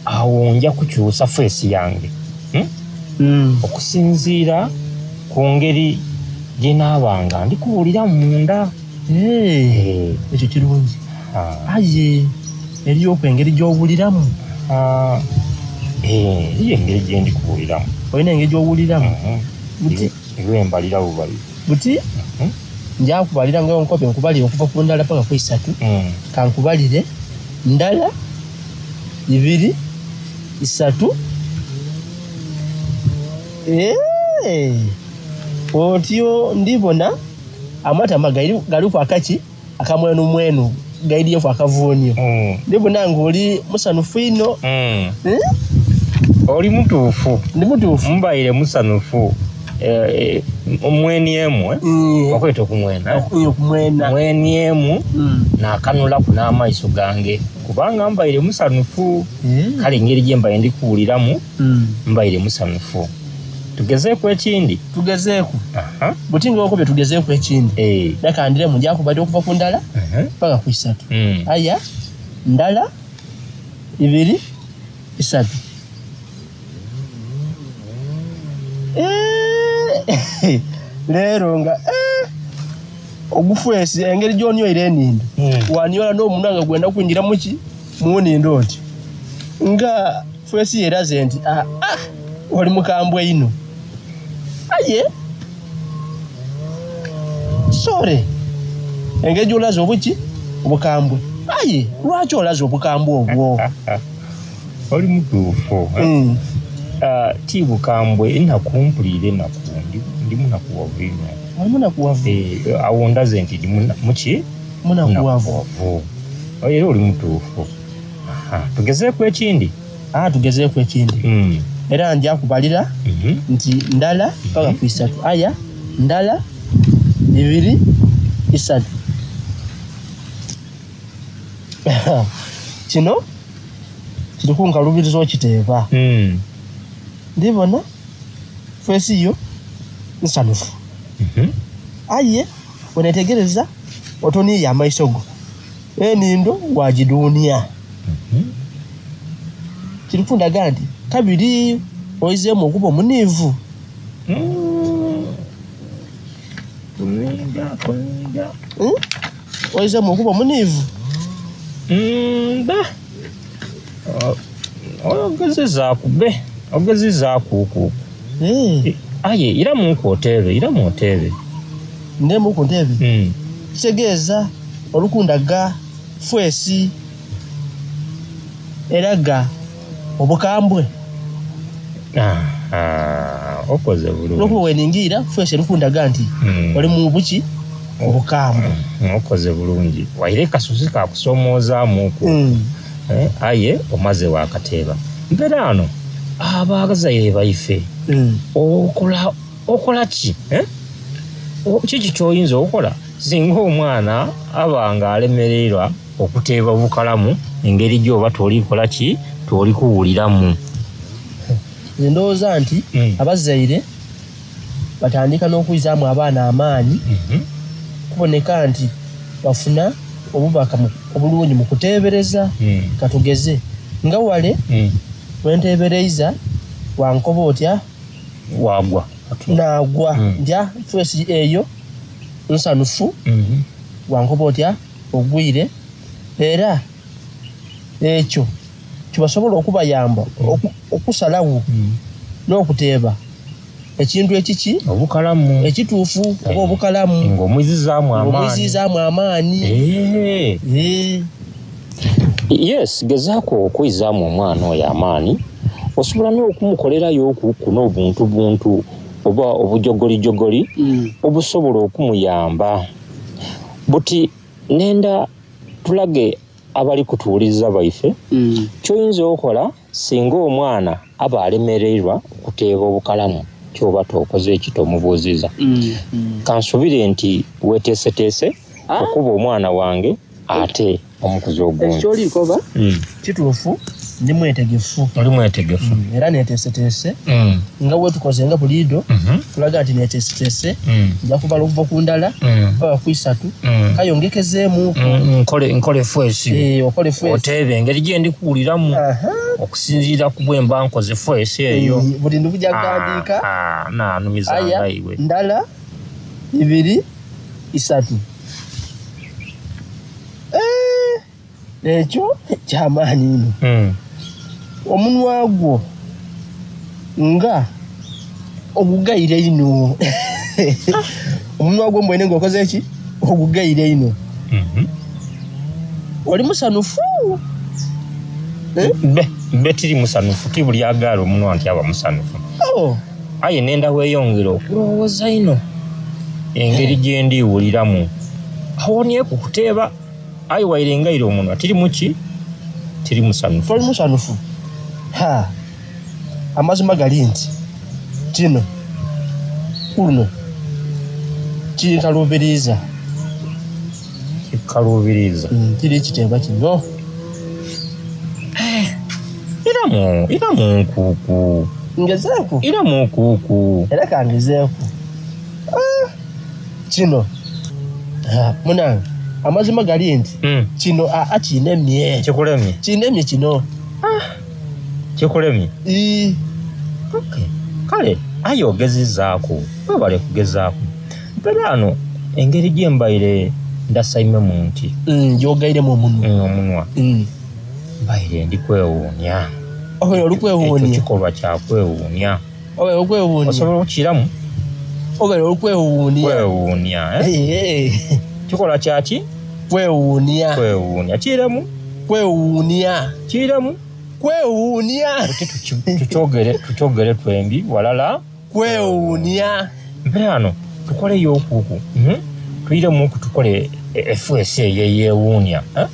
awo nja kukyusa feesi yange. Hmm? Okusinziira ku ngeri gye naaba nga ndi kuwuliramu munda. Eh, ekyo kirungi. Aye eriyoku engeri gy'owuliramu? Eh, eriyo engeri gye ndi kuwuliramu. Olina engeri gy'owuliramu? Buti Iwe mbalira bubalire. Buti nja kubalira nga nkobye nkubalire okuva ku ndala paka ku isatu. Kankubalire ndala, ibiri, isatu. Eh, otyo ndibona amatama galiku akaki akamwenumwenu gaidyeku akavuunio. Ndibona nga oli musanufu inho. Eh? Oli mutuufu. Ndi mutuufu. Mbaire musanufu. Eh, mweni emu, eh? Bakweta okumwena. Okumwena. Mweni emu nakanulaku n'amaiso gange kubanga mbaire musanufu. Kale engeri gye mbaire ndi kuwuliramu mbaire musanufu. Tugezeeku ekindi. Tugezeeku. Buti nga okobye tugezeeku ekindi. Leka ndiremu nja kubalira okuva ku ndala paka ku isatu. Aya, ndala, ibiri, isatu. Eh, leero nga ogufwesi engeri gy'onyoire enindo wanyola n'omunwa nga gwenda kwingira muki mu nindo oti nga fwesi yeraze nti ah, ah, oli mukambwe ino aye sore engeri gy'olaze obuki obukambwe aye lwaki olaze obukambwe obwo? Oli mutuufu. Ah, ti bukambwe enaku mpulira enaku ndi munakuwavu ino. Oli munakuwavu? Eh, awo ndaze nti ndi muki? Munakuwavu. Munakuwavu. Era oli mutuufu. Aha, tugezeeku ekindi. Ah, tugezeeku ekindi. Era nja kubalira nti ndala paka ku isatu. Aya, ndala, ibiri, isatu. Kino kiri kunkalubiriza okiteeba. Ndibona feesi yo nsanufu. Aye wenetegereza otoniiye amaiso go enindo wagiduunia. Kiri kundaga nti kabiri oizeemu okuba omuniivu. Kuniiga, kuniiga. Oizeemu okuba omuniivu? Mba. Ogezezaaku be, ogezezaaku okwo. Aye iramuku oteebe, iramu oteebe. Ndemu ku nteebe? Kitegeeza olukundaga fwesi eraga obukambwe. Aha, okoze bulungi. Olwokuba weningiira fwesi erikundaga nti oli mu buki obukambwe. Okoze bulungi. Waire kasusi kakusomoozaamuku. Aye omaze wakateeba. Mpeera ano abazaire baife okola ki? Kiki ky'oyinza okukola singa omwana aba nga alemererwa okuteeba bukalamu engeri gy'oba tolikola ki toli kuwuliramu? Nze ndowooza nti abazaire batandika n'okwizaamu abaana amaanyi kuboneka nti bafuna obubaka obulungi mu kuteebereza. Katugeze nga wale wenteebereiza wankoba otya wagwa nagwa ntya fesi eyo nsanufu wankoba otya ogwire era ekyo kibasobola okubayamba okusalawo n'okuteeba ekintu ekiki obukalamu ekituufu oba obukalamu ng'omwizizaamu amaanyi. Ng'omwizizaamu amaanyi. Yes, gezaako okwizaamu omwana oyo amaanyi. Osobola n'okumukolerayo okuku n'obuntu buntu oba obujogolijogoli obusobola okumuyamba. Buti nenda tulage abali kutuwuliriza baife ky'oyinza okukola singa omwana aba alemererwa okuteeba obukalamu kyoba tokoze eki tomubuuziza. Kansubire nti weteeseteese okuba omwana wange ate omukuzi ogundi. Ekyolikoba kituufu. Ndi mwetegefu. Oli mwetegefu. Era neteeseteese nga bwetukoze nga buliidho kulaga nti neteeseteese nja kubala okuva ku ndala paka ku isatu kale ongekezeemuuku. Nkole nkole feesi. Eh, okole feesi. Oteebe engeri gye ndi kuwuliramu okusinziira ku bwe mba nkoze feesi eyo. Eh, buli ndi kuja kughandiika. Ah, naanumizanga Aya, iwe. ndala, ibiri, isatu. Eh, ekyo kyamaanyi inho. Omunwa gwo nga ogugaire inho. Omunwa gwo mbwene nga okoze ki? Ogugaire inho. Oli musanufu? Mbe mbe tiri musanufu ti buli agaala omunwa nti aba musanufu. Oh. Aye nenda weeyongera okulowooza inho engeri gye ndiwuliramu. Awonieku kuteeba aye waire ngaire omunwa tiri muki? Tiri musanufu. Toli musanufu? Ha, amazima gali nti kino kuluno kinkaluubiriiza. Kikaluubiriiza? Kiri kiteeba kino. Iramu iramu nkuuku. Ngezeeku? Iramu nkuuku. Era kangezeeku. Ah, kino Ah, munange amazima gali nti kino aa kinemye. Kikulemye? Kinemye kino. Kikulemye? Ii. Okay. Kale aye ogezezaaku webale kugezaaku. Mperaano engeri gye mbaire ndasaimemu nti gyogairemu omunwa omunwa mbaire ndi kwewuunya. Obaire oli kwewuunia? Ekyo kikolwa kya kwewuunya. Obaire oli kwewuunia? Osobola okukiramu? Obaire oli kwewuunia? Kwewuunia, eh? Kikolwa kya ki? Kwewuunia. Kwewuunia. Kiiremu? Kwewuunia. Kiiremu? Kwewuunia. Tukyogere tukyogere twembi walala. Kwewuunia. Mperaano tukoleyo okuku. Tuyiremuku tukole efeesi eyo eyeewuunia. Eh?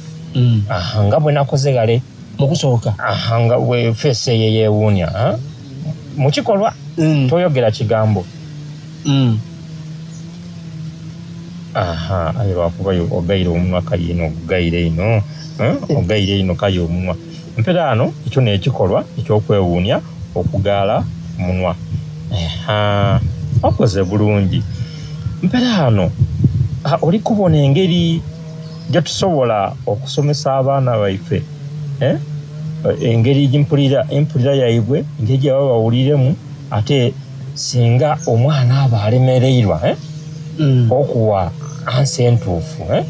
Aha, nga bwe nakoze ghale. Mu kusooka. Aha, nga bwe feesi eyo eyeewuunia. Eh? Mu kikolwa toyogera kigambo. Aha, aye lwakuba yo ogaire omunwa kale ino ogugaire ino. Eh? Ogaire ino kale omunwa. Mperaano ekyo n'ekikolwa eky'okwewuunia okugaala omunwa. Aha, okoze bulungi. Mperaano ah, oli kubona engeri gye tusobola okusomesa abaana baife eh? Engeri gyempulira empulira yaibwe engeri gye baba bawuliremu ate singa omwana aba alemereirwa eh? Okuwa ansa entuufu eh?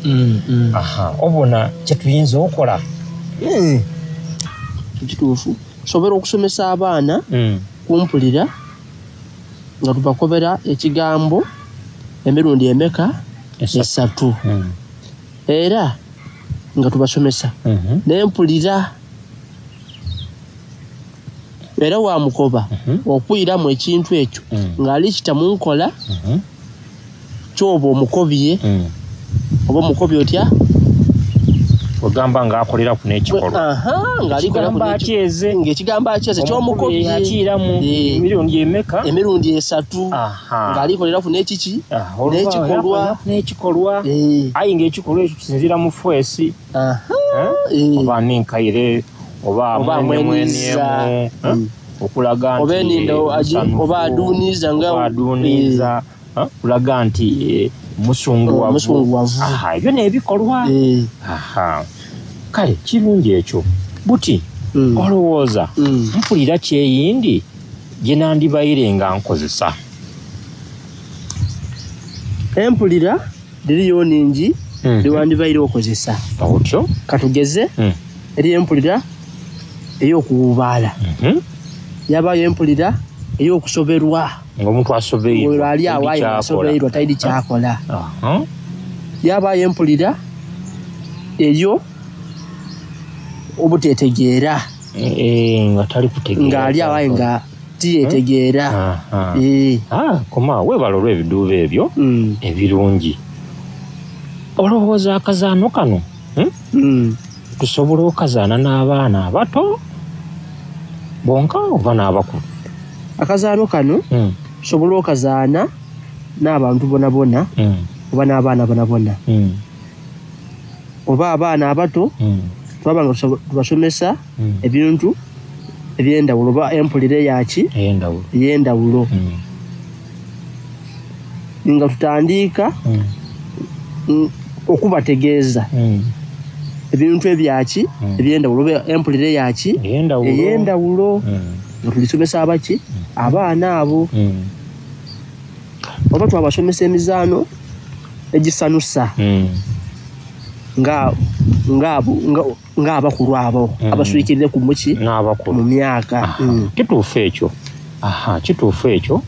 Aha, obona kye tuyinza okola. Kituufu. Tusobola okusomesa abaana kumpulira nga tubakobera ekigambo emirundi emeka? Esatu. Era nga tubasomesa n'empulira era wamukoba okwiramu ekintu ekyo ng'ali kita mu nkola kyoba omukobye oba omukobye otya? Ogamba ng'akoleraku n'ekikolwa. Aha, ng'alikoleraku Ekigambo akyeze. Ng'ekigambo akyeze ky'omukobye. Akiramu emirundi emeka? Emirundi esatu. Ng'alikoleraku n'ekiki? N'ekikolwa. N'ekikolwa. Aye ng'ekikolwa ekyo kisinziira mu feesi. Oba ninkaire oba Oba mwenemwenemu. amweniiza. Okulaga nti Oba enindo musanyufu, oba aduuniiza nga oba aduuniiza. Okulaga nti musunguwavu. Musunguwavu. Aha, ebyo n'ebikolwa. Aha. Kale kirungi ekyo. Buti olowooza mpulira kyeyindi gye nandibaire nga nkozesa. Empulira dhiriyo nhingi dhewandibaire okozesa. Otyo? Katugeze eriyo empulira ey'okuwuubaala. Yabaayo empulira ey'okusoberwa. Ng'omuntu asobeirwa. Oyo ali awo aye taidi asobeirwa taidi kyakola. Aha. Yabaayo empulira eyo obutetegeera. Nga tali kutegeera. Ng'ali awo aye nga tiyetegeera. Aha. Ah, koma weebale olw'ebiduubo ebyo ebirungi. Olowooza akazaano kano tusobola okazaana n'abaana abato bonka oba n'abakulu? Akazaano kano tusobola okazaana n'abantu bonabona oba n'abaana bonabona. Oba abaana abato Twaba nga tubasomesa ebintu ebyendawulo oba empulira eyaki eyendawulo nga tutandiika okubategeeza ebintu ebyaki ebyendawulo oba empulira eyaki eyendawulo nga tulisomesa abaki abaana abo oba twabasomesa emizaano egisanusa nga nga abakulu abo abaswikirireku muki mu myaka. Kituufu ekyo. Aha, kituufu ekyo.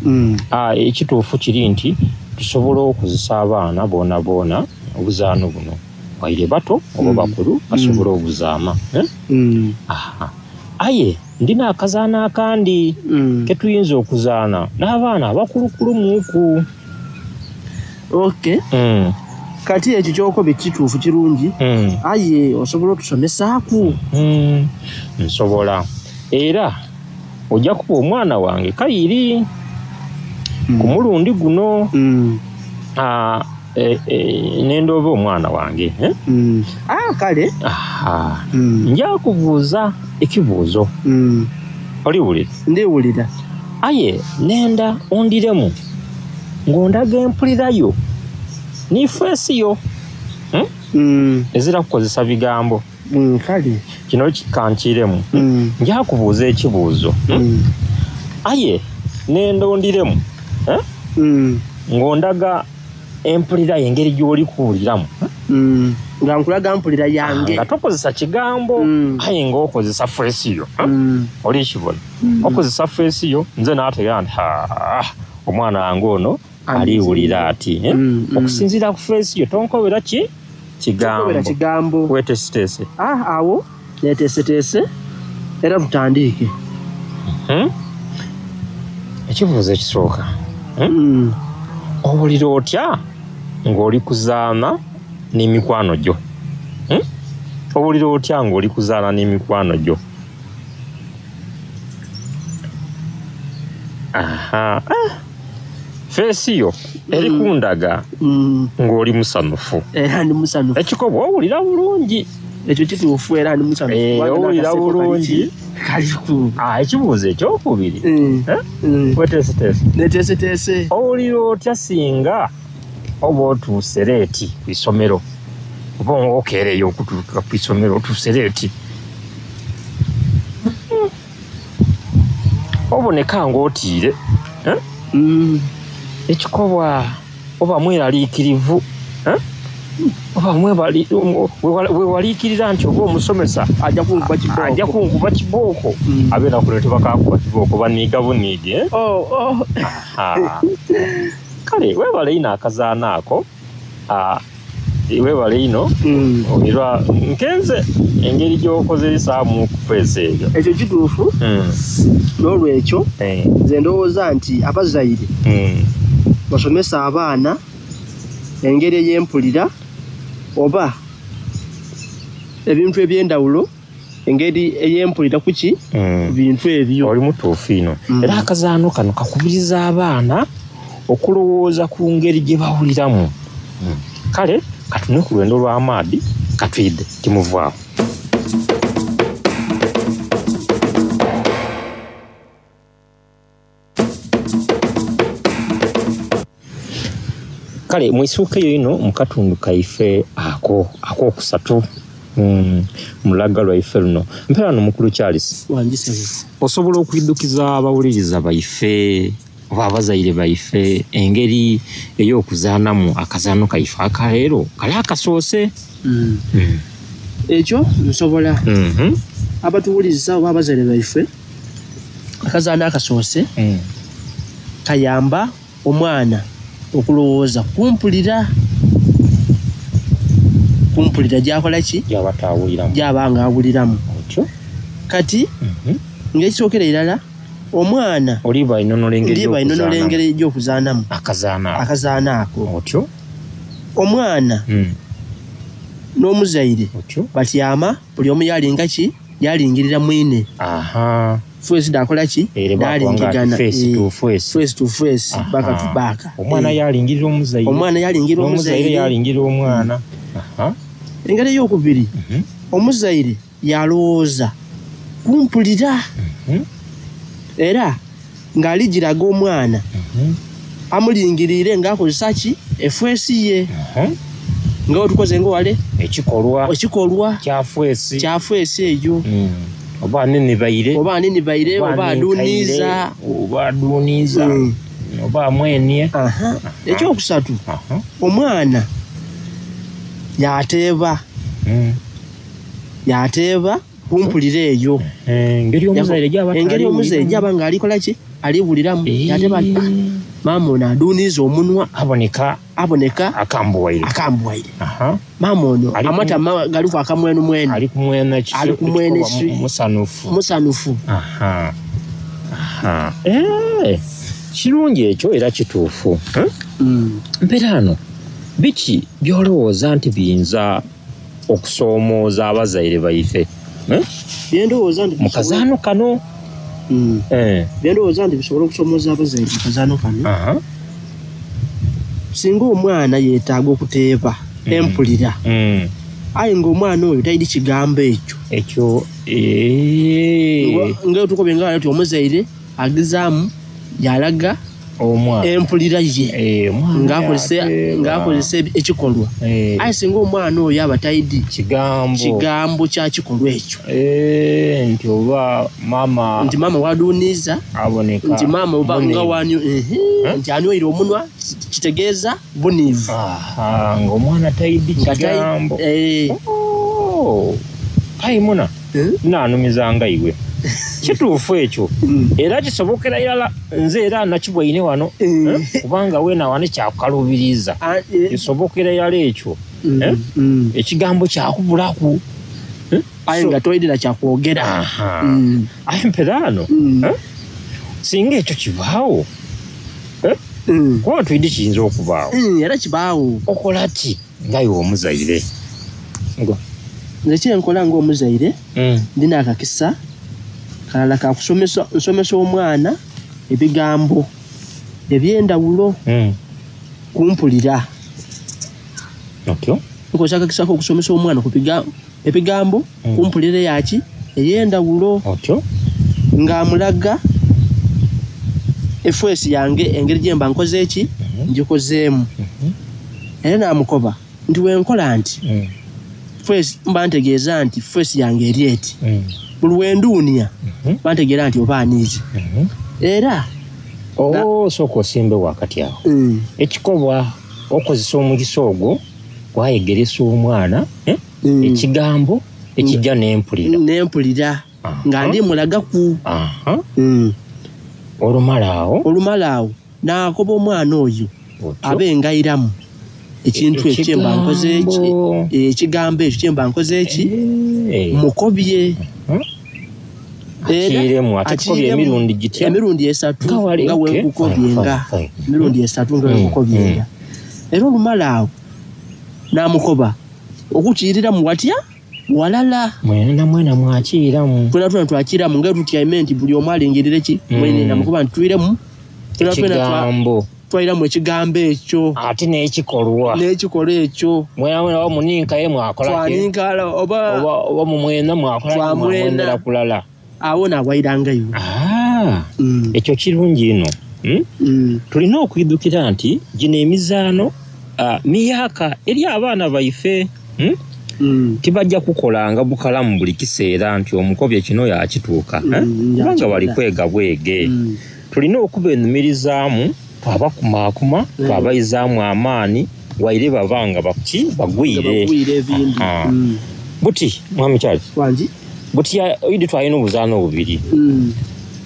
Ekituufu kiri nti tusobola okuzisa abaana boona boona obuzaano buno waire bato oba bakulu basobola obuzaama. Aha. Aye ndina akazaano akandi ketuyinza okuzaana n'abaana abakulukulu. Okay. Kati ekyo kyokobe kituufu kirungi aye osobola otusomesaaku? Nsobola era ojja kuba omwana wange kayiri ku mulundi guno nendooba omwana wange. Kale nja kubuuza ekibuuzo. Oliwulira? Ndiwulira. Aye nenda ondiremu ng'ondaga empulirayo ni feesi yo ezira kukozesa bigambo. Kale kino kikankiremu. Nja kubuuza ekibuuzo aye nenda ondiremu ng'ondaga empulira engeri gy'oli kuwuliramu. Nga nkulaga mpulira yange. Nga tokozesa kigambo aye ng'okozesa feesi yo. Olikibona okozesa feesi yo nze naategeera nti omwana wange ono aliwulira ati okusinziira ku feesi yo tonkobera ki kigambo. Weteeseteese. Awo neteeseteese era tutandiike. Ekibuuzo ekisooka, owulira otya ng'oli kuzaana n'emikwano gyo? Owulira otya ng'oli kuzaana n'emikwano gyo? Aha. Feesi yo eri kundaga ng'oli musanufu. Era ndi musanufu. Ekikobo owulira bulungi. Ekyo kituufu era ndi musanufu. Owulira bulungi. Kaliku. Ekibuuzo ekyokubiri. Weteeseteese. Neteeseteese. Owulira otya singa oba otuuse leeti ku isomero? Oba okeereyo okutuuka ku isomero otuuse leeti. Oboneka ng'otiire. Ekikobwa oba mweraliikirivu. Oba wewaliikirira nti oba omusomesa ajja kunkuba kibooko. Abeera kuno tebakakuba kibooko baniiga buniige. Kale weebale ino akazaana ako. Weebale ino era nkenze engeri gy'okozesaamu okufeesa ebyo. Ekyo kituufu. N'olwekyo nze ndowooza nti abazaire basomesa abaana engeri ey'empulira oba ebintu ebyendawulo engeri ey'empulira kuki bintu ebyo. Oli mutuufu ino. Era akazaano kano kakubiriza abaana okulowooza ku ngeri gye bawuliramu. Kale katune ku lwendo lw'amaadi katwidde timuvaawo. Kale mwisuuka eyo ino mu katundu kaife ako akokusatu mulaga lwaife luno. Mpeera no mukulu Charles. Osobola okwiddukiza abawuliriza baife oba abazaire baife engeri ey'okuzaanamu akazaano kaife akaleero kale akasoose. Ekyo nsobola. Abatuwuliriza oba abazaire baife akazaano akasoose kayamba omwana okulowooza kumpulira gyakola ki gyaba nga awuliramu. Kati ng'ekisookera irala omwana oliba inonola engeri gy'okuzaanamu akazaana ako. Otyo omwana n'omuzaire batyama buli omu yalinga ki yalingirira mwine. Feesi dakola ki dalingigana face to face, face to face, back to back. Omwana yalingirira omuzaire, omwana yalingirira omuzaire, yalingirira omwana. Engeri ey'okubiri Omuzaire yalowooza kumpulira era ng'aligiraga omwana amulingiriire ng'akozesa ki efeesi ye nga wetukoze nga wale ekikolwa ekikolwa kyafeesi kyafeesi eyo oba aninibaire oba aninibaire oba aduniiza oba aduniiza oba amwenie. Ekyokusatu, omwana yateeba yateeba kumpulira eyo engeri omuzaire gyaba engeri omuzaire gyaba nga alikola ki aliwuliramu yateeba nti, "Ah, maama ono aduniiza omunwa aboneka aboneka akambuwaire akambuwaire maama ono amatama galiku akamwenumwenu ali kumwena ali kumwena ekisu musanufu musanufu Aha. Aha. Eh, kirungi ekyo era kituufu. Eh? Mperaano biki by'olowooza nti biyinza okusoomooza abazaire baife? Eh? Byendowooza nti mu kazaano kano Eh. Byendowooza nti bisobola okusoomooza abazaire mu kazaano kano singa omwana yeetaaga okuteeba empulira aye ng'omwana oyo talina kigambo ekyo ekyo nga tukobye nga nti omuzaire agezaamu yalaga omwana empulira ye ng'akozesa yateeba. ng'akozesa ekikolwa aye singa omwana oyo aba taidi kigambo kigambo kya kikolwa ekyo nti oba maama nti maama waduniiza aboneka nti maama oba buniivu. nga wani ehe, nti anywere omunwa kitegeeza buniivu ng'omwana taidi Nga tai- kigambo eh. Oh, ayi muna naanumizanga iwe kituufu ekyo era kisobokera irala nze era nakibwaine wano eh, kubanga weena wano kyakukalubiriza kisobokera irala ekyo eh, ekigambo kyakubulaku aye nga toyidira kyakwogera aye mperaano eh, singa ekyo kibaawo eh, kuba twidi kiyinza okubaawo era kibaawo okola ki nga iwe omuzaire nze kyenkola ng'omuzaire ndina akakisa kalala kakusomesa nsomesa omwana ebigambo ebyendawulo kumpulira otyo nkozesa akakisa k'okusomesa omwana ku ebigambo kumpulira yaki ey'endawulo otyo ng'amulaga efeesi yange engeri gyemba nkoze eki ngikozeemu era namukoba nti wenkola nti feesi mba ntegeeza nti feesi yange eri eti buli wenduunia bantegeera nti oba aniize era osooka osimbe wakati awo ekikolwa okozesa omukisa ogwo wayegeresa omwana eh, ekigambo ekijja n'empulira n'empulira nga ndi mulagaku olumala awo olumala awo nakoba omwana oyo abe ngairamu ekintu ekyo kyemba nkoze eki ekigambo ekyo kyemba nkoze eki mukobye Era Akiiremu, ate tukobye akiiremu emirundi gitya? emirundi esatu Nga wali, nga okay. wenkukobye Fine, nga fine, fine. emirundi esatu nga wenkukobye nga era olumala awo namukoba okukiiriramu watya walala mwena mwena mwakiiramu twena twena twakiiramu nga tutyaime nti buli omu alingirire ki mwene namukoba nti twiremu Twena twena Ekigambo. twairamu ekigambo ekyo ate n'ekikolwa n'ekikolwa ekyo mwena mwena oba muninkaye mwakola ki? Twaninkala oba oba mumwena mwakola ki? Twamwena. Mwamwenera kulala awo naawairangayo ekyo kirungi ino Hmm? Tulina okwidukira nti gino emizaano miyaka eri abaana baife hmm? Tibajja kukolanga bukalamu buli kiseera nti omukobye kino yakituuka eh? Kubanga bali kwega bwege. Tulina okubenumirizaamu twabakumaakuma twabayizaamu amaani waire baba nga baki bagwire Bagwire ebindi. Aha. Buti mwami Charles wangi buti idi twalina obuzaano bubiri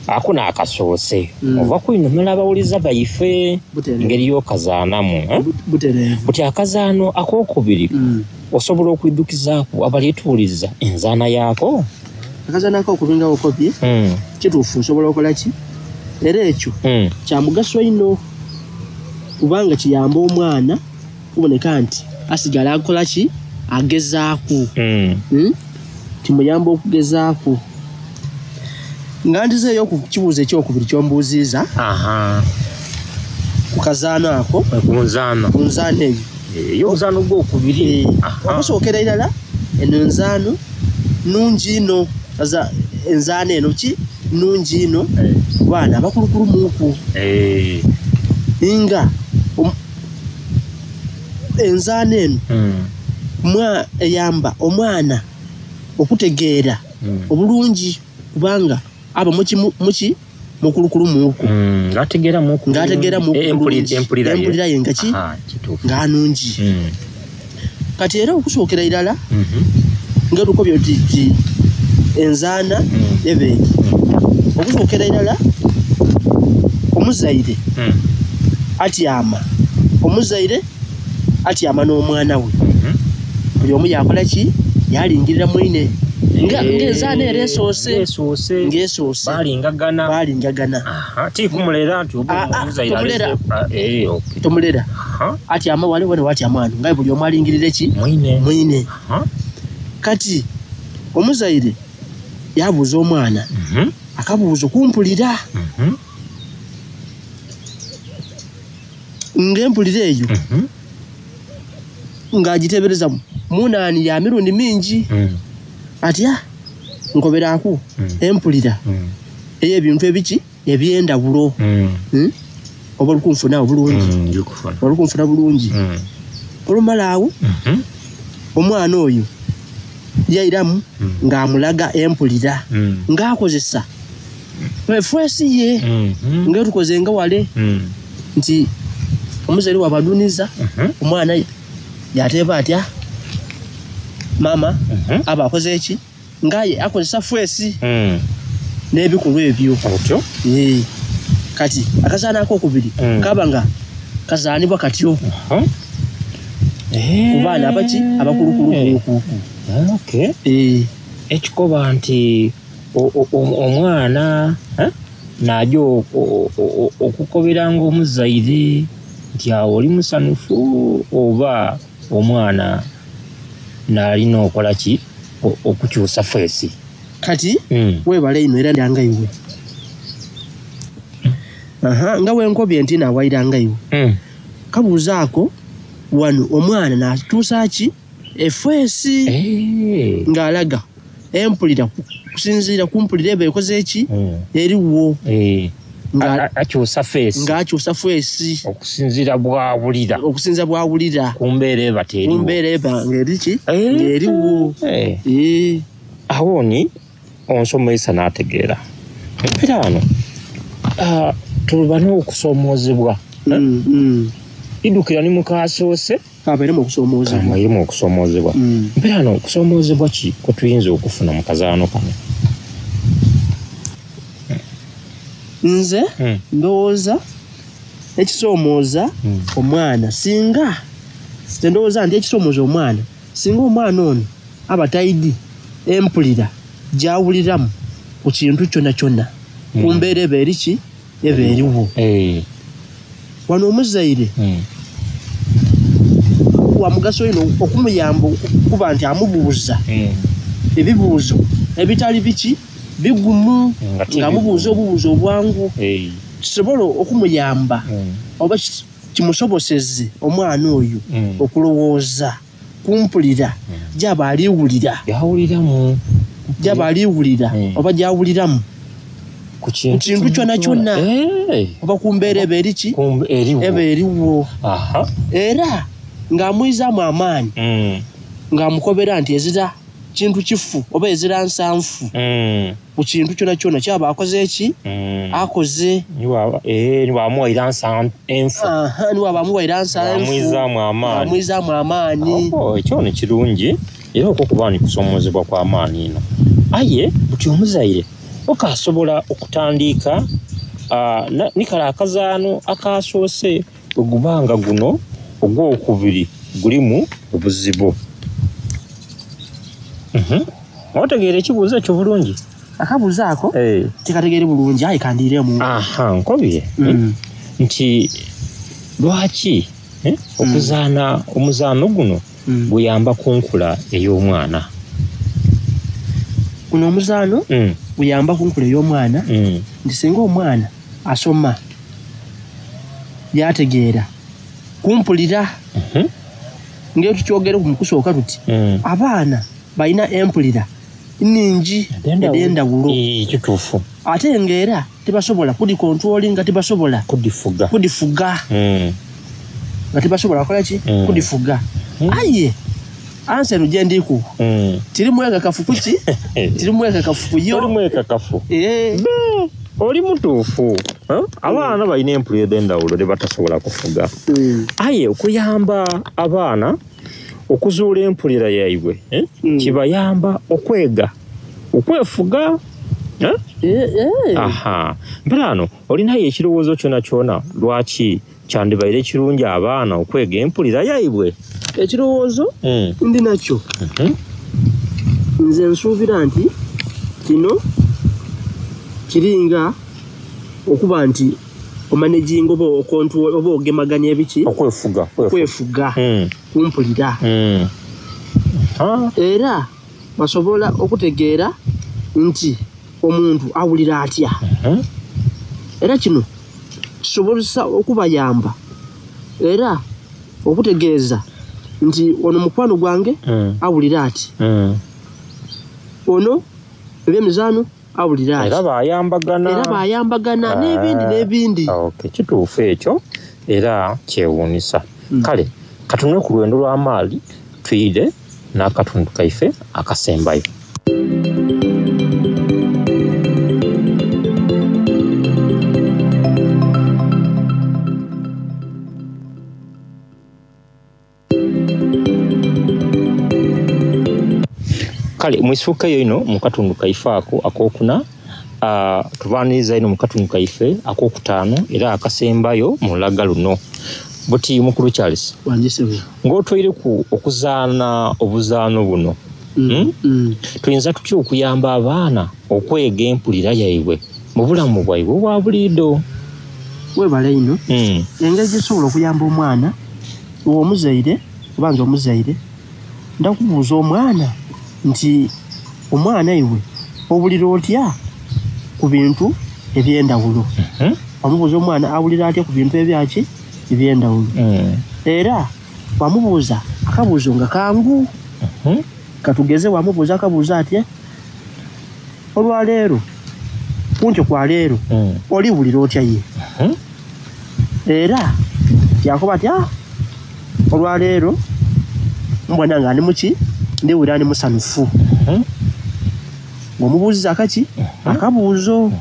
ako naakasoose ova kwinumira abawuliza baife ngeri y'okazaanamu eh? Butereevu. Buti akazaano akokubiri osobola okwidukizaaku abalituwuliriza enzaana yaako. Akazaana akokubiri nga okobye kituufu nsobola okola ki era ekyo kya mugaso ino kubanga kiyamba omwana kuboneka nti asigala akola ki agezaaku. Hmm? Kimuyamba okugezaaku nga ndizeeyo ku kibuuzo ekyokubiri kyombuuziiza ku kazaano ako ku nzaano ku nzaano eyo ey'omuzaano gwokubiri. Okusookera irala eno nzaano Nungi inho aza enzaana eno ki nungi inho ku baana abakulukulu-muku. Nga enzaana eno eyamba omwana okutegeera obulungi kubanga aba muki? Mukulukulu-muku. Ng'ategeeramuku bulungi. Empulira ye nga ki? Nga nungi. Kati era okusookera irala nga tukobye tuti enzaana eba eti. Okusookera irala omuzaire atyama, omuzaire atyama n'omwana we. Buli omu yaakola ki? Yaalingirira mwine. Nga enzaana ere esoose. Nga esoose. Balingagana. Balingagana. Ti kumulera nti oba omuzaire Tomulera. Tomulera. Atyama wale wena watyama wano nga buli omu alingirire ki? Mwine. Mwine. Kati omuzaire yabuuza omwana akabuuzo kumpulira. Nga empulira eyo nga agitebereza munaani ya mirundi mingi. Atya nkoberaku empulira ey'ebintu ebiki? Eby'endhawulo. Oba oli kunfuna agho bulungi? Oli kunfuna bulungi? Olumala agho, omwana oyo yairamu ng'amulaga empulira ng'akozesa efeesi ye nga tukoze nga wale nti omuzaire bw'abadhuniza omwana yateeba atya maama aba akoze ki? Nga aye akozesa feesi n'ebikolwa ebyo. Otyo? Yee. Kati akazaano ak'okubiri kaba nga kazaanibwa katyo ku baana abaki abakulukulu. Okay. Ekikoba nti omwana naaja okukoberanga omuzaire nti awo oli musanhufu oba omwana naalina okola ki? Okukyusa feesi. Kati webale inho era nga iwe. Aha, nga bwenkobye nti nawaira nga iwe. Kabuuzo ako wano omwana natuusa ki efeesi nga alaga empulira kusinziira ku mpulira eba ekoze ki eriwo. Akyusa feesi. Nga akyusa feesi. Okusinziira bw'awulira. Okusinziira bw'awulira. Ku mbeera eba teriwo. Ku mbeera eba ng'eri ki? Ng'eriwo. Agho ni onsomesa n'ategeera. Empira ghano tuba n'okusoomoozebwa. Idhukira ni mu kaasoose. Kabairemu okusoomoozebwa. Kabairemu okusoomoozebwa. Empira ghano kusoomoozebwa ki kwe tuyinza okufuna mu kazaano kano? Nze ndowooza ekisoomooza omwana singa, nze ndowooza nti ekisoomooza omwana singa omwana ono aba taidhi empulira gy'awuliramu ku kintu kyonakyona ku mbeera eba eri ki? Eba eriwo. Wano omuzaire wa mugaso inho okumuyamba okuba nti amubuuza ebibuuzo ebitali biki? Bigumu, nga amubuuza obubuuzo obwangu kisobole okumuyamba oba kimusoboseze omwana oyo okulowooza ku mpulira gyaba ali wulira, gyaba ali wulira oba gyawuliramu ku kintu kyonakyona oba ku mbeera eba eri ki? Eba eriwo. Era nga amwizaamu amaani nga amukobera nti ezira kintu kifu oba ezira nsanfu ku kintu kyonakyona kyaba akoze ki? Akoze. Ni bw'amuwaire nsa enfu. Aha, ni bw'aba amuwaire nsa enfu. Amwizaamu amaani. Amwizaamu amaani. Oh, ekyo ni kirungi era okwo kuba ni kusomoozebwa kwa maani inho. Aye buti omuzaire okaasobola okutandiika ni kale akazaano akaasoose bwe guba nga guno ogwokubiri gulimu obuzibu. Otegeire ekibuuzo ekyo bulungi? Akabuuzo ako tikategeire bulungi aye kandiiremu. Aha, nkobye nti lwaki okuzaana omuzaano guno guyamba ku nkula ey'omwana? Guno omuzaano guyamba ku nkula ey'omwana nti singa omwana asoma yategeera kumpulira nga tukyogereku mu kusooka tuti abaana balina empulira. nningi edh'endhawulo. Kituufu. Ate nga era tibasobola kudikontulolinga, tibasobola kudifuga. Kudifuga. Nga tibasobola kukola ki? Kudifuga. Aye ansa eno gye ndi kuwa tiri mwekakafu kuki? Tiri mwekakafu ku yo. Oli mwekakafu. Oli mutuufu. Abaana balina empulira edh'endhawulo dhe batasobola kufuga. Aye okuyamba abaana okuzuula empulira yaibwe kibayamba okwega okwefuga. Aha. Mperaano olinayo ekirowoozo kyonakyona lwaki kyandibaire kirungi abaana okwega empulira yaibwe? Ekirowoozo ndi nakyo. Nze nsuubira nti kino kiringa okuba nti omanaginga oba okontulo oba ogemaganya ebiki? Okwefuga. Okwefuga kumpulira. Era basobola okutegeera nti omuntu awulira atya. Era kino kisobozesa okubayamba era okutegeeza nti ono mukwano gwange awulira ati. Ono ebyemizaano awulira ati. Era bayambagana. Era bayambagana n'ebindi n'ebindi. Okay, kituufu ekyo era kyewuunisa. Kale katunule ku lwendo lw'amaali twire n'akatundu kaife akasembayo. Kale mwisuukeyo ino mu katundu kaife ako akokuna, tubaaniriza ino mu katundu kaife akokutaano era akasembayo mu lulaga luno. Buti mukulu Charles, ng'otweireku okuzaana obuzaano buno, tuyinza tutya okuyamba abaana okwega empulira yaibwe mu bulamu bwaibwe obwa buliido? Webale ino. Engeri gyetusobola okuyamba omwana, iwe omuzaire oba nze omuzaire, ndakubuuza omwana nti omwana iwe owulira otya ku bintu eby'endawulo? Wamubuuza omwana awulira atya ku bintu ebyaki? Eby'endawulo. Era wamubuuza akabuuzo nga kangu. Katugeze wamubuuza akabuuzo ati, olwaleero, kunkyo kwa leero, oliwulira otya ye? Era yakoba ati, olwaleero mbona nga ndi muki? Ndiwulira ndi musanufu. Ng'omubuuziza akaki? Akabuuzo.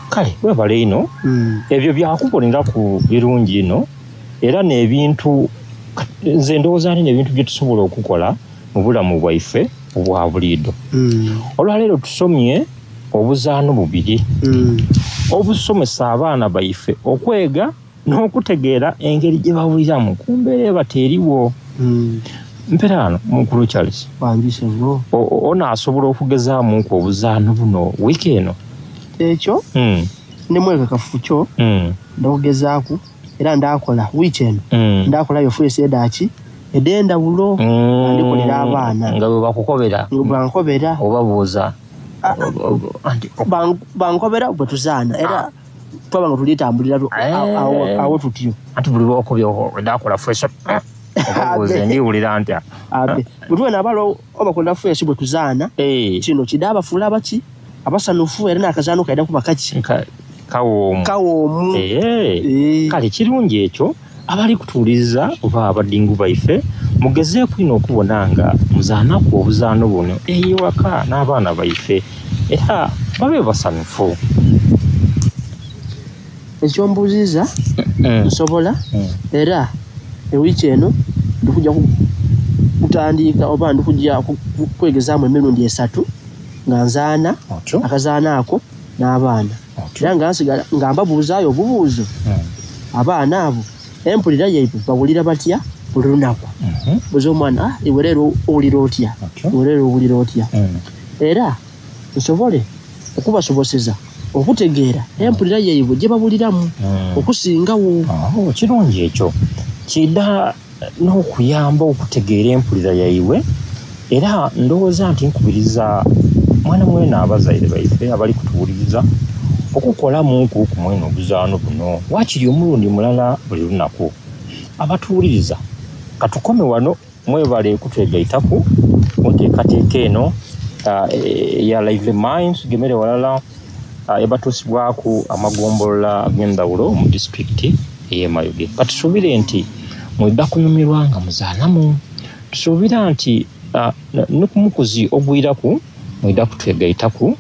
Kale webale ino. Ebyo byakuboneraku birungi ino era n'ebintu nze ndowooza nti n'ebintu bye tusobola okukola mu bulamu bwaife obwa buliido. Olwaleero tusomye obuzaano bubiri obusomesa abaana baife okwega n'okutegeera engeri gye bawuliramu ku mbeera eba teriwo. Mperaano mukulu Charles, ono asobola okugezaamuku obuzaano buno wiiki eno? Ekyo ndi mwekakafu kyo ndakugezaaku era ndakola wiiki eno. Ndakolayo feesi edaki ed'endawulo nga ndikolera abaana. Nga bwe bakukobera? Nga bankobera. Obabuuza? Bankobera bwe tuzaana era twaba nga tulitambulira awo tutyo. Anti buli lwokobye ndakola feesi obabuuza ndiwulira ntya? Abe bwe tuwena abala obakolera feesi bwe tuzaana kino kida abafuula abaki abasanufu era n'akazaano kaida kuba kaki? Kawoomu. Kawoomu. Kale kirungi ekyo abali kutuwuliriza oba abadingu baife mugezeeku ino okubona nga muzaanaku obuzaano buno ewaka n'abaana baife era babe basanufu. Ekyombuuziza nsobola era ewiiki eno ndikujja kutandika oba ndikujja kwegezaamu emirundi esatu nga nzaana akazaana ako n'abaana. Era nga nsigala nga mbabuuzaayo obubuuzo abaana abo empulira yaibwe bawulira batya buli lunaku. Buuza omwana, iwe leero owulira otya? Iwe leero owulira otya? Era nsobole okubasoboseza okutegeera empulira yaibwe gye bawuliramu okusingawo. Kirungi ekyo. Kida n'okuyamba okutegeera empulira yaibwe era ndowooza nti nkubiriza mwana mwena abazaire baife abali kutuwuliriza okukolamuku ku mwene obuzaano buno waakiri omulundi mulala buli lunaku. Abatuwuliriza katukome wano mwebale kutwegaitaku ku nteekateeka eno eya Lively Minds gemere walala ebatuusibwaku amagombolola ag'endawulo mu disitulikiti ey'e Mayuge. Katusuubire nti mwidha kunyumirwa nga muzaanamu. Tusuubira nti ni ku mukuzi ogwiraku mwidha kutwegaitaku.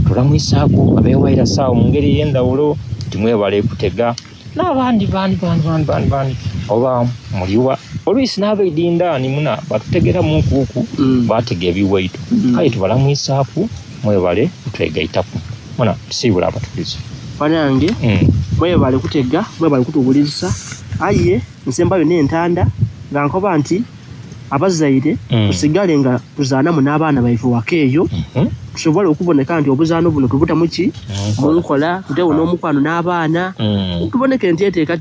Tulamwisaaku abewaira saawa mu ngeri ey'endawulo nti mwebale kutega n'abandi bandi bandi bandi bandi bandi oba muliwa oluisi n'abaidindaani muna batutegeramu nkuuku batega ebiwaito. Kale tubalamwisaaku mwebale kutwegaitaku. Muna tusiibula abatuliza. Banange mwebale kutega, mwebale kutuwulirisa, aye nsembayo n'entanda nga nkoba nti abazaire tusigale nga tuzaanamu n'abaana baife waka eyo, tusobole okuboneka nti obuzaano buno tubuta muki munkola, tutewo n'omukwano n'abaana, tuboneke nti enteekateeka.